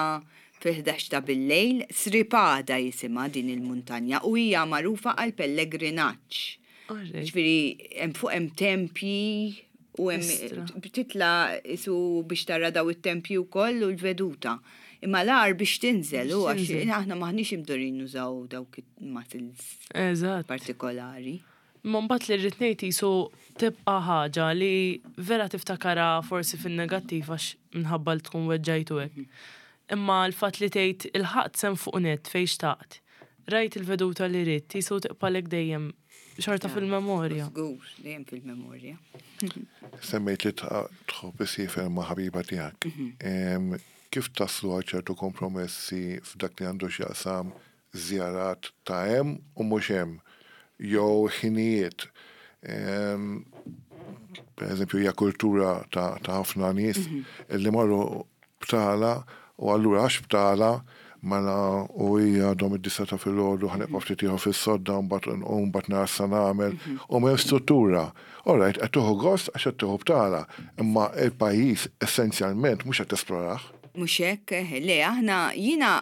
fil-11 ta' bil-lejl, Sripada jisimha din il-muntanja u hija magħrufa għal pellegrinaġġ. Ġifieri hemm fuq hemm tempji u hemm titla' isu biex tara daw it-tempji wkoll u l-veduta. Imma l-agħar biex tinżel u għax aħna m'aħniex imdorrijin nużaw dawk il-muscles partikolari. Imma mbagħad li rrid ngħid qisu tibqa' ħaġa li vera tiftakarha forsi fin-negattiv għax minħabba li tkun weġġajt u hekk. Imma l-fatt li tgħid ilħaqt s'hemm fuq nett fejn xtaqt, rajt il-veduta li ridt, qisu tibqalek dejjem xorta fil-memorja. Żgur, dejjem fil-memorja. Semmejt li tħobb issiefer ma' ħabiba tiegħek. Kif taslu għal ċertu kompromessi f'dak li għandu x'jaqsam żjarat ta' hemm u mhux hemm, jew ħinijiet? Per eżempju, hija kultura ta' ħafna nies li marru btala u allura għax btala mela u hija għadhom id-disgħa ta' filgħodu ħa nibqa' ftit ieħor fis-sodda mbagħad nqum mbagħad nara x'sa nagħmel u m'hemm struttura. All right, qed tieħu gost għax qed tieħu btala, imma l-pajjiż essenzjalment mhux qed tesplorah. Mhux hekk, eħe, le aħna jiena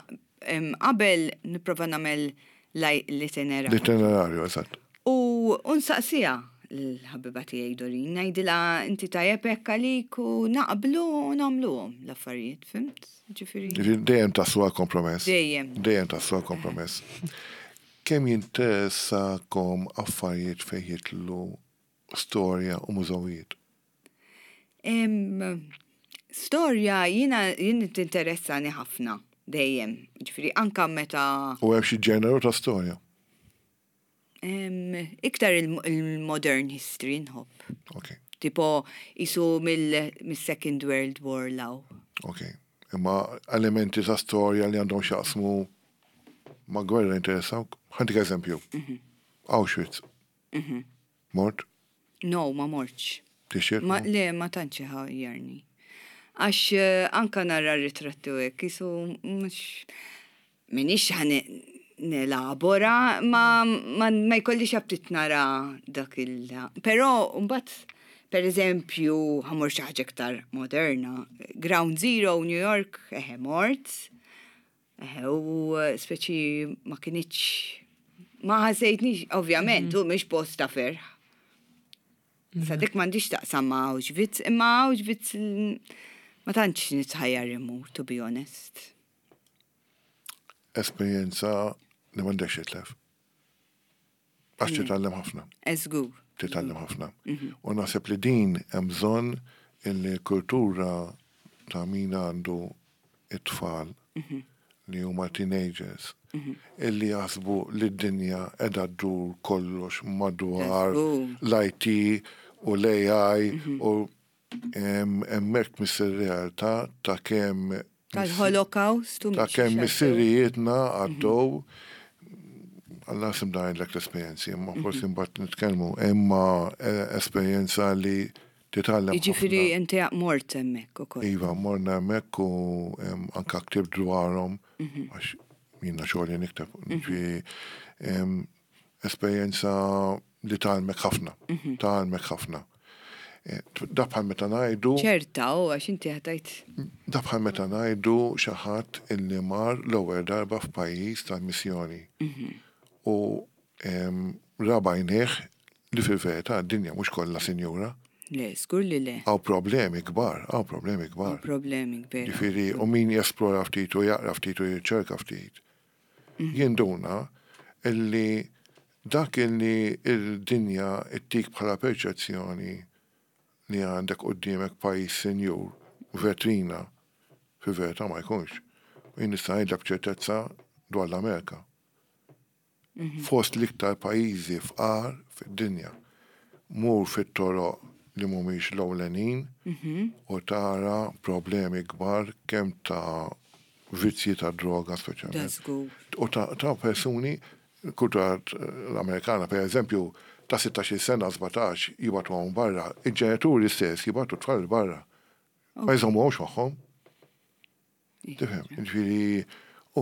qabel nipprova nagħmel l-itinerarju. L-itinerarju, eżatt. U nsaqsiha l-ħabiba tiegħi Doreen, ngħidilha inti tajjeb hekk għalik u naqblu u nagħmluhom l-affarijiet, fimt? Ġifieri. Ġifieri dejjem taslu għal kompromess. Dejjem. Dejjem taslu għal kompromess. Kemm jinteressakom affarijiet fejn jidħlu storja u mużewijiet? Storja jiena jien tinteressani ħafna dejjem. Ġifieri anka meta. U hemm xi ġeneru ta' storja? Iktar il-modern history nħobb. Ok. Tipo isu mill-Second World War law. Ok. Imma elementi ta' storja li għandhom x'jaqsmu ma' gwerra jinteressawk? Ħantik eżempju. Mhm. Auschwitz. Mhm. Mort? No, ma mortx. Tixtieq? Ma, le, ma tantx iħajjarni. Għax eh, anka nara ritratti u hekk, isu mhux minix ħa nelabora, ma, ma, ma jkollix aptit nara dak il. Però mbagħad per eżempju, ħamur xi ħaġa iktar moderna, Ground Zero, New York, eħe mort, Eħe, u speċi ma kinitx, ma ħassejtnix, ovvjament, u mhix post ta' ferħ. Sa dik m'għandix taqsam ma' Auschwitz, imma Auschwitz ma tantx nitħajjar immur, to be honest. Esperjenza li m'għandekx titlef. Għax mm. titgħallem ħafna. Eżgur. Titgħallem ħafna. Mhm. U naħseb li din hemm bżonn illi kultura ta' min għandu it-tfal mhm. li huma teenagers mhm. illi jaħsbu li d-dinja qiegħda ddur kollox madwar l-IT u l-AI u Hemmhekk tmiss ir-realtà ta' kemm Tal-Holocaust u Ta' kemm missirijietna għaddew Alla sim ngħidlek l-esperjenzi, imma forsi mbagħad nitkellmu, imma esperjenza li titgħallem. Jiġifieri inti mort hemmhekk ukoll. Iva, morna hemmhekk u anke ktibt dwarhom għax jiena xogħli nikteb. Ġifieri Esperjenza li tgħallmek ħafna, mhm. tgħallmek ħafna. Eh, da bħal meta ngħidu. ċerta, u għax inti ħatajt. Da bħal meta ngħidu xi ħadd illi mar l-ewwel darba f'pajjiż tal-missjoni. Mhm. U rabajnieh li fil-verità d-dinja mhux kollha sinjura. Le, żgur li le. Hawn problemi kbar, hawn problemi kbar. Problemi kbar. Ġifieri, u min jesplora ftit u jaqra ftit u jirċerka ftit. Jinduna illi dak illi l-dinja ttik bħala perċezzjoni li għandek quddiemek pajjiż sinjur, vetrina, fil-verità ma jkunx. U jien nista' ngħidlek b'ċertezza dwar l-Amerika. Fost l-iktar pajjiżi fqar fid-dinja. Mur fit-toroq li mhumiex l-ewlenin u tara problemi kbar kemm ta' vizzji ta' droga speċjalment. U ta' persuni, kultura l-Amerikana per eżempju, ta' 16 sena, 17 jibagħtuhom barra, il-ġenituri stess jibagħtu tfal barra. Ma jżommuhomx magħhom. Tifhem, ġifieri u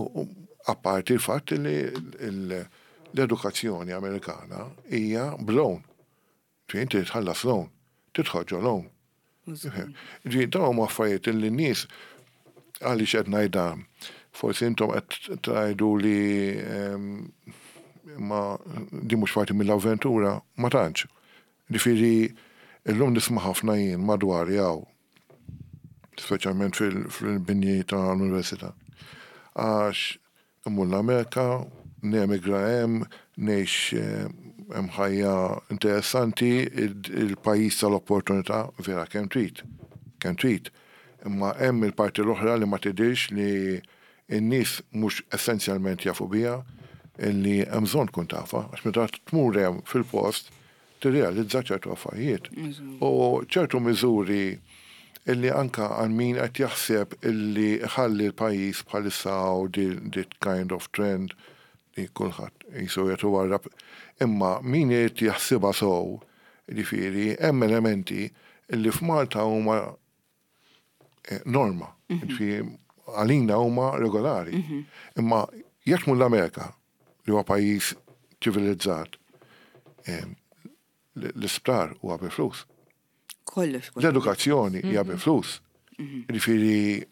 apparti l-fatt li l-edukazzjoni Amerikana hija b'loan. Ġifieri inti tħallas loan, tidħol ġo loan. Ġifieri dawn huma affarijiet li n-nies għaliex qed ngħid dan. Forsi intom qed tgħidu li ma di mhux parti mill-avventura, ma tantx. Ġifieri illum nisma' ħafna jien madwari hawn speċjalment fil-binji ta' l-università. Għax immur l-Amerika, nemigra hemm, ngħix hemm ħajja interessanti, il-pajjiż tal-opportunità vera kemm trid, kemm trid. Imma hemm il-parti l-oħra li ma tidhirx li n-nies mhux essenzjalment jafu biha, illi hemm bżonn tkun tafha, għax meta tmur hemm fil-post tirrealizza ċertu affarijiet. U ċertu miżuri illi anka għal min qed jaħseb illi ħalli l-pajjiż bħalissa hawn dit kind of trend li kulħadd qisu qed iwarrab. Imma min irid jaħsibha sew, jiġifieri hemm elementi illi f'Malta huma norma, jiġifieri għalina huma regolari. Imma jekk tmur l-Amerika, li huwa pajjiż ċivilizzat, l-isptar huwa bi flus. Kollox. L-edukazzjoni hija bi flus. Jiġifieri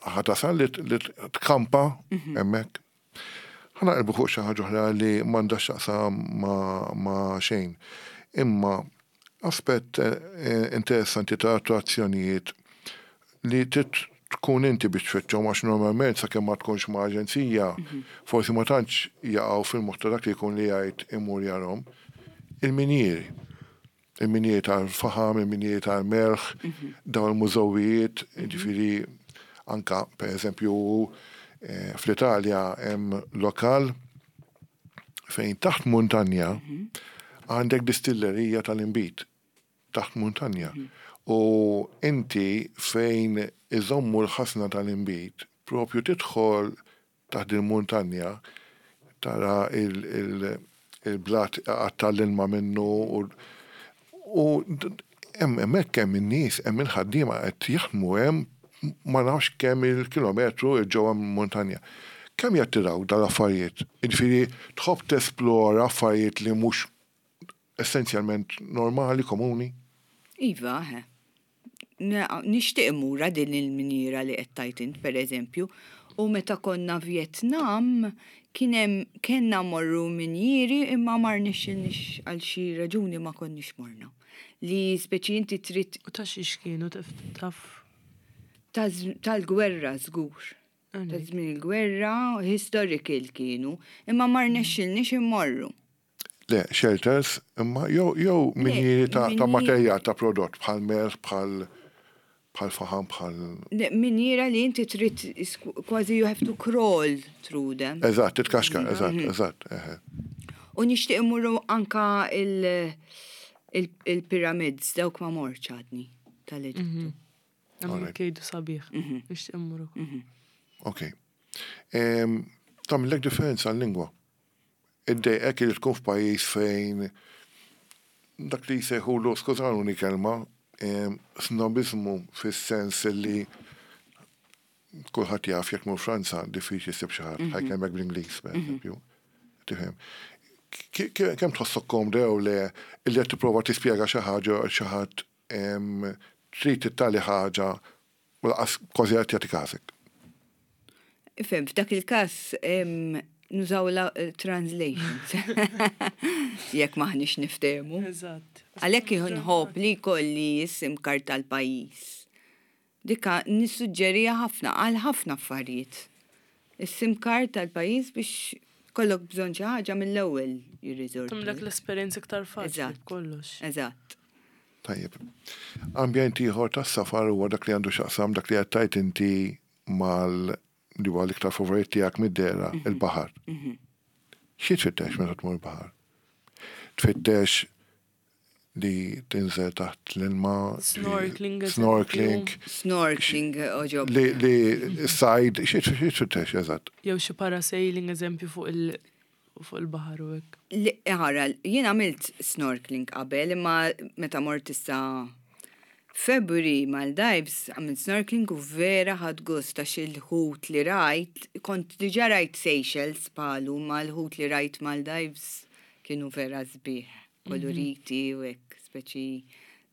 ħa tasal li tkampa hemmhekk. Ħa naqilbu fuq xi ħaġa oħra li m'għandha x'taqsam ma' xejn. Imma aspett interessanti ta' attrazzjonijiet li trid tkun inti biex tfittxhom għax normalment sakemm ma tkunx ma' aġenzija forsi ma tantx jaqgħu fil-moħħ ta' dak li jkun li jgħid imur jarhom. Il-minjieri. Il-minjieri tal-faħam, il-minjieri tal-melħ, dawn il-mużewijiet, jiġifieri anka pereżempju fl-Italja hemm lokal fejn taħt muntanja għandek distillerija tal-inbid taħt muntanja. U inti fejn iżommu l-ħasna tal-inbid, propju tidħol taħt il-muntanja, tara il-blat iqatta' l-ilma minnu u hemmhekk hemm in-nies, hemm il-ħaddiema qed jaħdmu hemm ma nafx kemm il-kilometru 'l ġewwa mill-muntanja. Kemm jattirawk dal-affarijiet? Jiġifieri tħobb tesplora affarijiet li mhux essenzjalment normali, komuni? Iva, eħe. Nixtieq immur din il-minjiera li qed tgħid int pereżempju. U meta konna Vietnam kien hemm kellna mmorru minjieri imma ma rnexxilniex għal xi raġuni ma konniex morna. Li speċi inti trid. U ta' xiex kienu taf? Tal-gwerra żgur. Ta' żmien il-gwerra, historical kienu, imma ma rnexxilniex immorru. Le, shelters, imma jew jew minjieri ta' ta' materjal ta' prodott bħal melħ, bħal bħal faħam, bħal. Le, minjiera li inti trid kważi you have to crawl through them. Eżatt, titkaxkar, eżatt, eżatt, eħe. U nixtieq immorru anka il-pyramids, dawk ma mortx għadni tal-Eġittu. Hemm jgħidu sabiħ, nixtieq immur ukoll. Ok. Tagħmillek differenza l-lingwa? Iddejqek li tkun f'pajjiż fejn dak li jsejħulu, skużawni kelma, snobiżmu fis-sens li kulħadd jaf jekk tmur Franza diffiċli ssib xi ħadd ħa jkellmek bl-Ingliż pereżempju. Tifhem? Kemm tħossok komda jew le li qed tipprova tispjega xi ħaġa xi ħadd trid tali ħaġa U lanqas kważi qed jagħti każek. Ifhem, f'dak il-każ nużaw la translations. Jekk maħniex niftehmu. Eżatt. Għalhekk nħobb li jkolli s-SIM card tal-pajjiż. Dika nissuġġeriha ħafna għal ħafna affarijiet. Is-SIM card tal-pajjiż biex kollok bżonn xi ħaġa mill-ewwel jirriżortu. Tagħmlek l-esperjenza iktar faċli b'kollox. Eżatt. Tajjeb. Ambjent ieħor tas-safar huwa dak li għandu x'jaqsam dak li qed tgħid inti mal li huwa l-iktar favorit tiegħek mid-dehra, il-baħar. Xi tfittex meta tmur il-baħar? Tfittex Li tinżel taħt l-ilma. Snorkeling. Snorkeling. Snorkeling oġob. Li, li sajd, xi tfittex eżatt. Jew xi parasailing eżempju fuq il fuq il-baħar u hekk. Ara, jien għamilt snorkeling qabel imma meta mort issa February Maldives għamilt snorkeling u vera ħadt gost għax il-ħut li rajt, kont diġà rajt Seychelles bħalu ma l-ħut li rajt Maldives kienu vera sbieħ. koloriti u hekk, speċi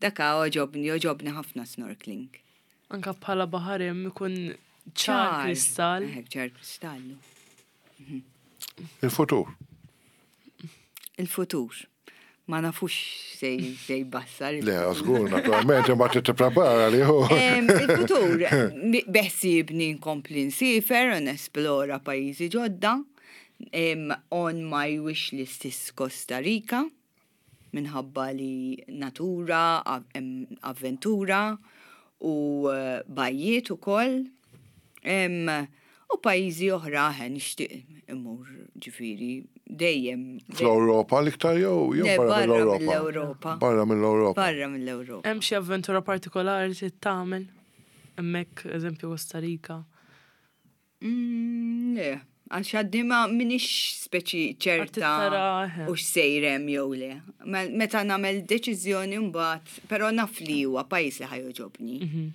daka għoġobni, għoġobni ħafna snorkeling. Anka bħala baħar hemm ikun ċar kristall. Hekk ċar kristallu. Mhm. Il-futur. Il-futur. Ma nafux sej sej bassar. Le, żgur, naturalment, imma trid tipprepara li hu. Il-futur, beħsiebni nkompli nsifer u nesplora pajjiżi ġodda. On my wish list is Costa Rica minħabba li natura, avventura u eh, bajjiet ukoll. U pajjiżi oħra eh, nixtieq immur ġifieri dejjem. Fl-Ewropa l-iktar jew jew barra mill-Ewropa? Barra mill-Ewropa. Barra mill-Ewropa. Hemm xi avventura partikolari li tagħmel hemmhekk eżempju Costa Rica? Mm, le, għax għadni ma minix speċi ċerta u xsejrem jew le. Meta nagħmel deċiżjoni mbagħad, però naf li huwa pajjiż li ħajoġobni. Mhm.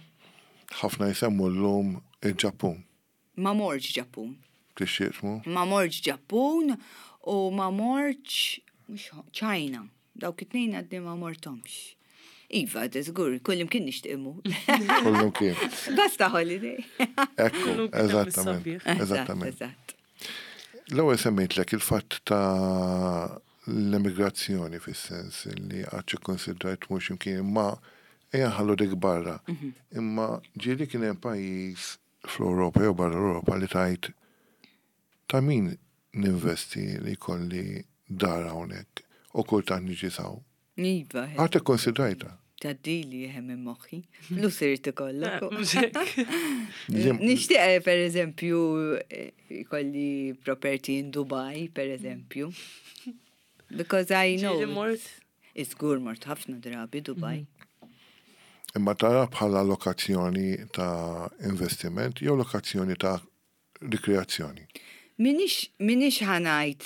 Ħafna jsemmu llum il-Ġappun. Ma morġ Ġappun. Tixtieq tmur? Ma morġ Ġappun u ma morġ China. Dawk it-tnejn għadni ma mortomx. Iva, żgur, kullimkien nixtieq immur. Kullimkien. Basta holiday. Ekku, eżattament. Eżattament. Eżatt. L-ewwel semmejtlek il-fatt ta' l-emigrazzjoni fis-sens li għadx ikkonsidrajt mhux imkien imma ejja nħallu dik barra. Mhm. Imma ġieli kien hemm pajjiż fl-Ewropa jew barra l-Ewropa li tajt Ta' min ninvesti li jkolli dar hawnhekk u kultant niġi s'hawn? Iva. Qatt ikkonsidrajtha? Tgħaddili eħe minn moħħi. Flus irid ikollok. Mhux hekk. Nixtieq eh, per eżempju eh, jkolli property in Dubai, per eżempju. Because I know. Ġieli mort? Iżgur mort ħafna drabi Dubai. Imma tara bħala lokazzjoni ta' investiment jew lokazzjoni ta' rikreazzjoni. Minix, minix ħanajt,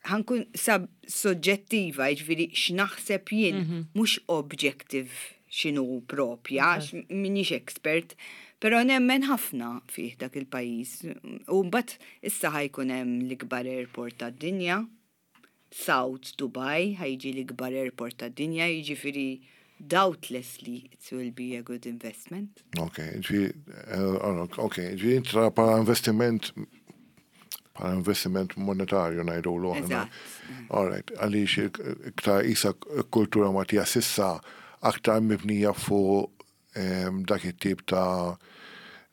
ħankun sab soġġettiva, jiġifieri x'naħseb jien, mhm. mhux objective x'inhu propja, minix expert, però nemmen ħafna fih dak il-pajjiż. U mbagħad issa ħajkun hemm l-ikbar airport tad-dinja, South Dubai ħa jiġi l-ikbar airport tad-dinja, jiġifieri doubtlessly it will be a good investment. Ok, ġifieri, eh, ok, ġifieri inti tara bħala investiment bħala investiment monetarju ngħidulu aħna. All right, għaliex iktar isa kultura Maltija sissa aktar mibnija fuq dak it-tip ta'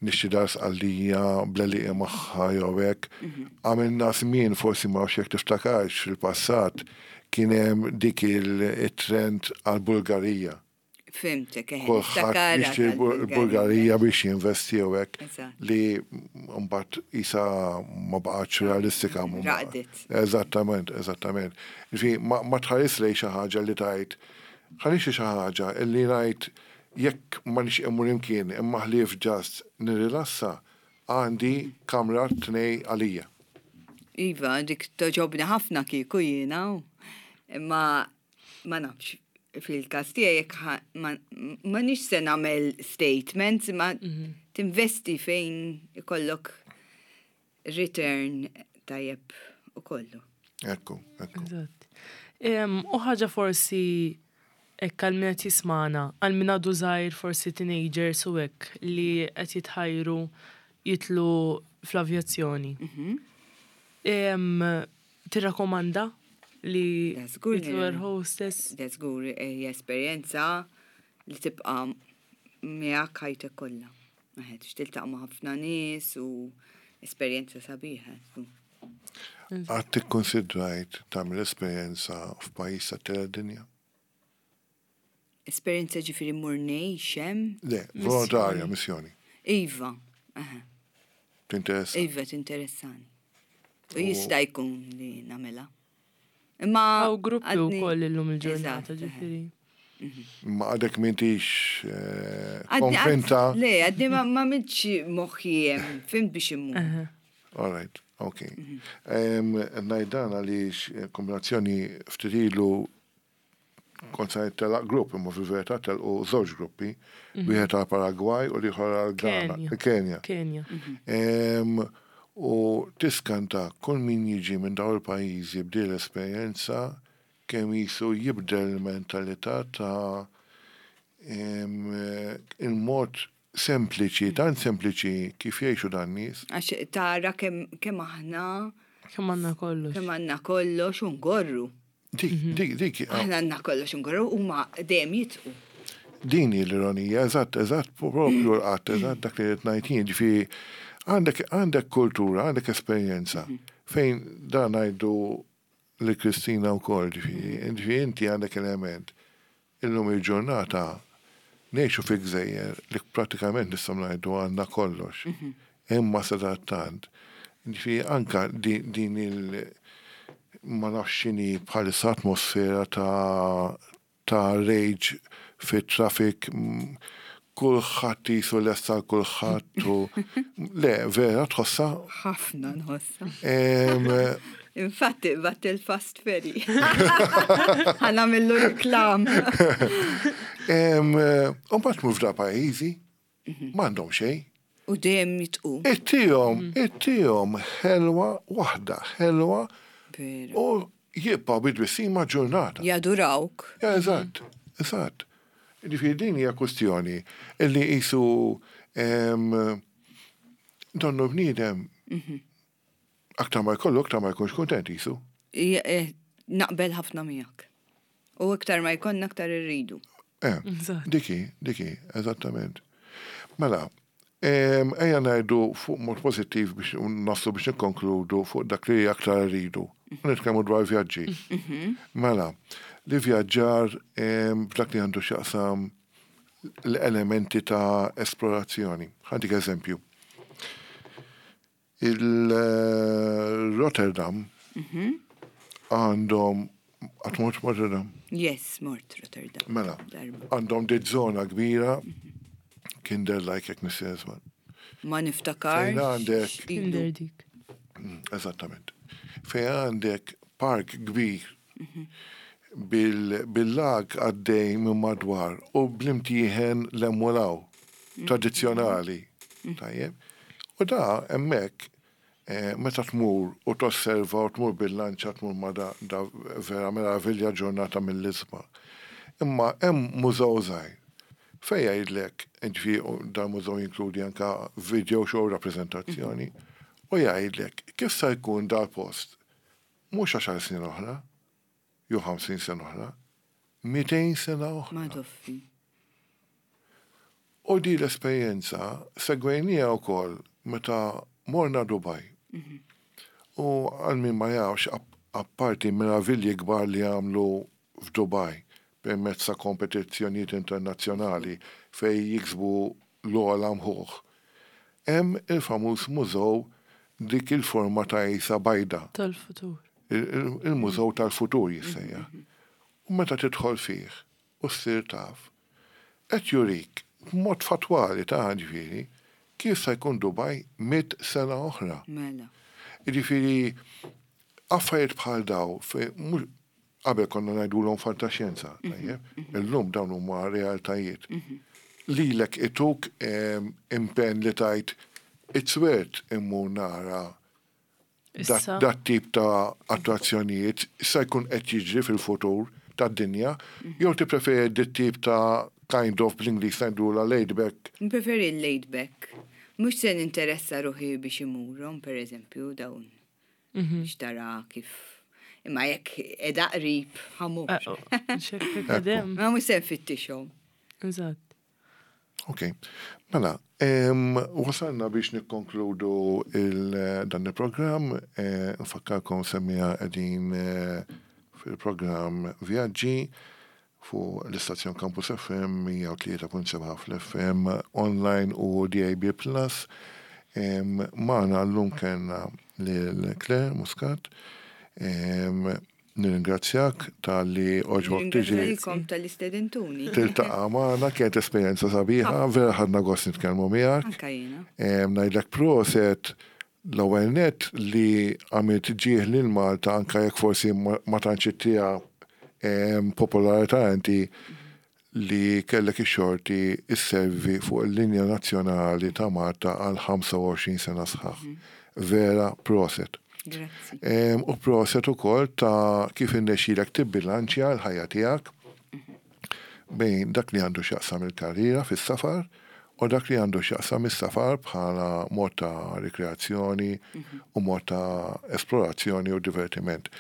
nixtri dar Sqallija bl-għelieqi magħha jew hekk. Mhm. Għamilna żmien forsi ma nafx jekk tiftakarx fil-passat kien hemm dik il-trend għall-Bulgarija. Fimtek, eh, Kulħadd jixtri l-Bulgarija biex jinvesti jew hekk li mbagħad isa ma baqgħetx realistika. Raqdet. Eżattament, eżattament. Ġifieri ma tħares lejn xi ħaġa li tgħid Ħa nixtri xi ħaġa illi ngħid jekk ma nixtieq immur imkien imma ħlief just nirrilassa, għandi kamra tnej għalija. Iva, dik togħġobni ħafna kieku jiena, imma ma nafx fil-każ tiegħi jekk ma nix se nagħmel statements imma mhm. tinvesti fejn ikollok return tajjeb u kollu. Ekku, ekku. Eżatt. U ħaġa forsi hekk għal min qed jismagħna, għal min għadu żgħir forsi teenagers u hekk li qed jitħajru jitlu fl-avjazzjoni. Mhm. Tirrakkomanda li jitlu air hostess? Da żgur hija esperjenza li tibqa' miegħek ħajtek kollha. Eħe, tiltaqa' ma' ħafna nies u esperjenza sabiħa. Qatt ikkunsidrajt tagħmel esperjenza f'pajjiż tat-tielet dinja? Esperjenza ġifieri mmur ngħix hemm? Le, volontarja, missjoni. Iva, eħe. Tinteressa? Iva, tinteressani. U jista' jkun li nagħmilha. Imma. Hawn gruppi wkoll illum il-ġurnata ġifieri. Ma għadek m'intix konvinta. Le, għadni ma mintx moħħi hemm, fhimt biex immur. All right, ok. Ngħid dan għaliex kombinazzjoni ftit ilu kont se telaq grupp, imma fil-verità telqu żewġ gruppi, wieħed għal Paragwaj u l-ieħor għal Ghana, Kenja. Kenja. U tiskanta kull min jiġi minn dawn il-pajjiżi b'din l-esperjenza kemm qisu jibdel il-mentalità ta' il-mod sempliċi, tant sempliċi kif jgħixu dan nies. Għax tara kemm aħna. Kemm għandna kollox. Kemm għandna kollox u ngorru. Dik, dik, dik. Aħna għandna kollox u ngorru huma dejjem jitqu. Din hi l-ironija, eżatt, eżatt, propju l-qatt, eżatt dak li qed ngħid jien, ġifieri għandek għandek kultura, għandek esperjenza fejn dan ngħidu lil Kristina wkoll, ġifieri, ġifieri inti għandek element. Illum il-ġurnata ngħixu fi gżejjer li prattikament nistgħu ngħidu għandna kollox. Imma sadattant, ġifieri anka din il ma nafx x'inhi bħalissa atmosfera ta' ta' rage fit-traffic, kulħadd qisu lest għal kulħadd u le, vera tħossha? Ħafna nħossha. Infatti qbadt il-fast ferry. Ħa nagħmillu reklam. U mbagħad tmur f'da pajjiżi m'għandhom xejn. U dejjem jitqu. Ittihom, ittihom ħelwa waħda, ħelwa. U jibqgħu bi tbissima ġurnata. Jadurawk. Eżatt, eżatt. Ġifieri din hija kwistjoni illi qisu donnu bniedem aktar ma jkollu aktar ma jkunx kuntent qisu. Eh, naqbel ħafna miegħek. U iktar ma jkollna aktar irridu. Eh, diki, diki, eżattament. Mela, ejja ngħidu fuq mod pożittiv biex naslu biex nikkonkludu fuq dak li aktar rridu. Nitkellmu dwar vjaġġi. Mhm. Mela, li vjaġġar f'dak li għandu x'jaqsam l-elementi ta' esplorazzjoni. Ħantik eżempju. Il-Rotterdam għandhom Qatt mort Rotterdam? Yes, mort Rotterdam. Mela, għandhom dit żona kbira, Kinder like jekk nisir Ma niftakar. Fejn għandek. Kinder dik. Eżattament. Fejn għandek park kbir bil-lag għaddej minn madwar u bl-imtieħen l-emulaw tradizzjonali. Tajjeb. U da hemmhekk eh, meta tmur u tosserva u tmur bil-lanċa tmur ma da, da vera meravilja ġurnata mill-isma. Imma hemm mużew żgħir fejn jgħidlek, ġifieri dan mużew jinkludi anka video show rappreżentazzjoni, u jgħidlek kif sa jkun dal-post mhux għaxar snin oħra, jew 50 sena oħra, 200 sena oħra. Madoffi. U di l-esperjenza segwejnija wkoll meta morna Dubai. U għal min ma jafx, apparti meravilji kbar li għamlu f'Dubai permezz ta' kompetizzjonijiet internazzjonali fejn jiksbu l-ogħla mħuħ, hemm il-famuż mużew dik il-forma ta' qisha bajda. Tal-futur. Il-mużew tal-futur jissejjaħ. U meta tidħol fih u ssir taf, qed jurik b'mod fattwali ta' ġifieri kif se jkun Dubai 100 sena oħra. Mela. Jiġifieri affarijiet bħal daw fejn qabel konna ngħidulhom fantaxjenza, tajjeb, illum dawn huma realtajiet. Lilek ituk impenn li tgħid it's worth immur nara dat tip ta' attrazzjonijiet se jkun qed jiġri fil-futur tad-dinja, jew tippreferi dit tip ta' kind of bl-Ingliż ngħidulha laid back? Npreferi l-laid back. Mhux se ninteressa ruħi biex imurhom, per eżempju, dawn. Biex tara kif. Imma jekk edha qrib, ħa mmur. Ma mhux se nfittixhom. Eżatt. Ok, mela, wasalna biex nikkonkludu dan il-programm, nfakkarkom semmiegħa qegħdin fil-programm Vjaġġi fuq l-istazzjon Campus FM 103.7 fl-FM online u DAB+. Magħna llum kellna lil Claire Muscat. Nirringrazzjak talli għoġbok tiġi. Nirringrazzjakom talli stedintuni. Tiltaqa' magħna, kienet esperjenza sabiħa, vera ħadna gost nitkellmu miegħek. Anka jiena. Ngħidlek proset l-ewwel nett li għamilt ġieħ lil Malta anke jekk forsi ma tantx ittiha popolarità inti li kellek ix-xorti sservi fuq il-linja nazzjonali ta' Malta għal 25 sena sħaħ. Vera proset. Grazzi. U proset ukoll ta' kif irnexxielek tibbilanċja l-ħajja tiegħek bejn dak li għandu x'jaqsam il-karriera fis-safar u dak li għandu x'jaqsam is-safar bħala mod ta' rikreazzjoni u mod ta' esplorazzjoni u divertiment.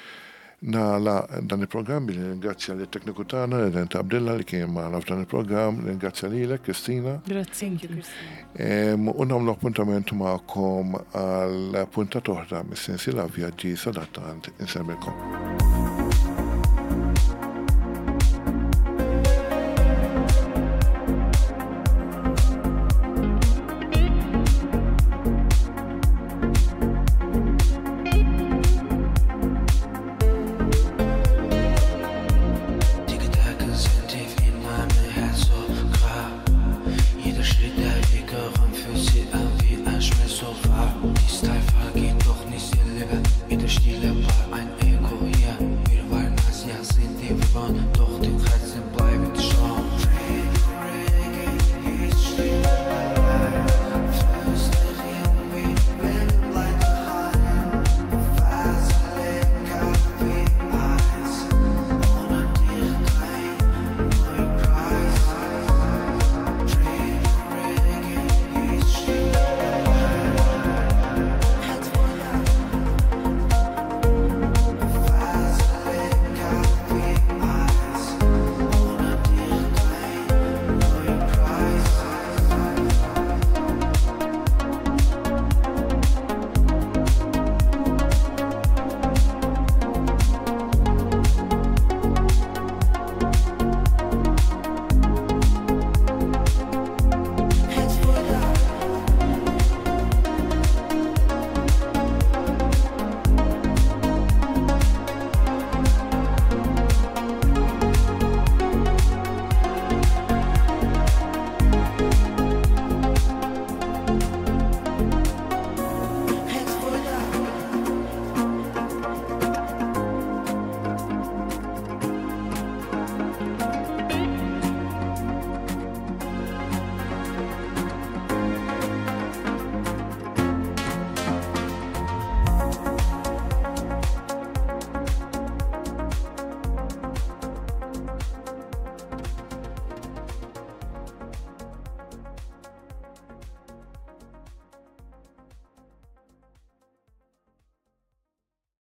Nagħlaq dan il-programm billi nirringrazzja lit-tekniku tagħna Redent Abdilla li kien magħna f'dan il-programm, nirringrazzja lilek Kristina. Grazzi. Thank you, Kristina. U nagħmlu appuntament magħkom għal puntata oħra mis-sensiela Vjaġġi sadattant insellmilkom. Die Gedanken sind tief in meinem Herz so klar. Jeder Schritt, der wir gehören, fühlt sich an wie ein Schmerz so wahr. Die Style vergeht doch nicht, ihr Liebe. Jeder Stil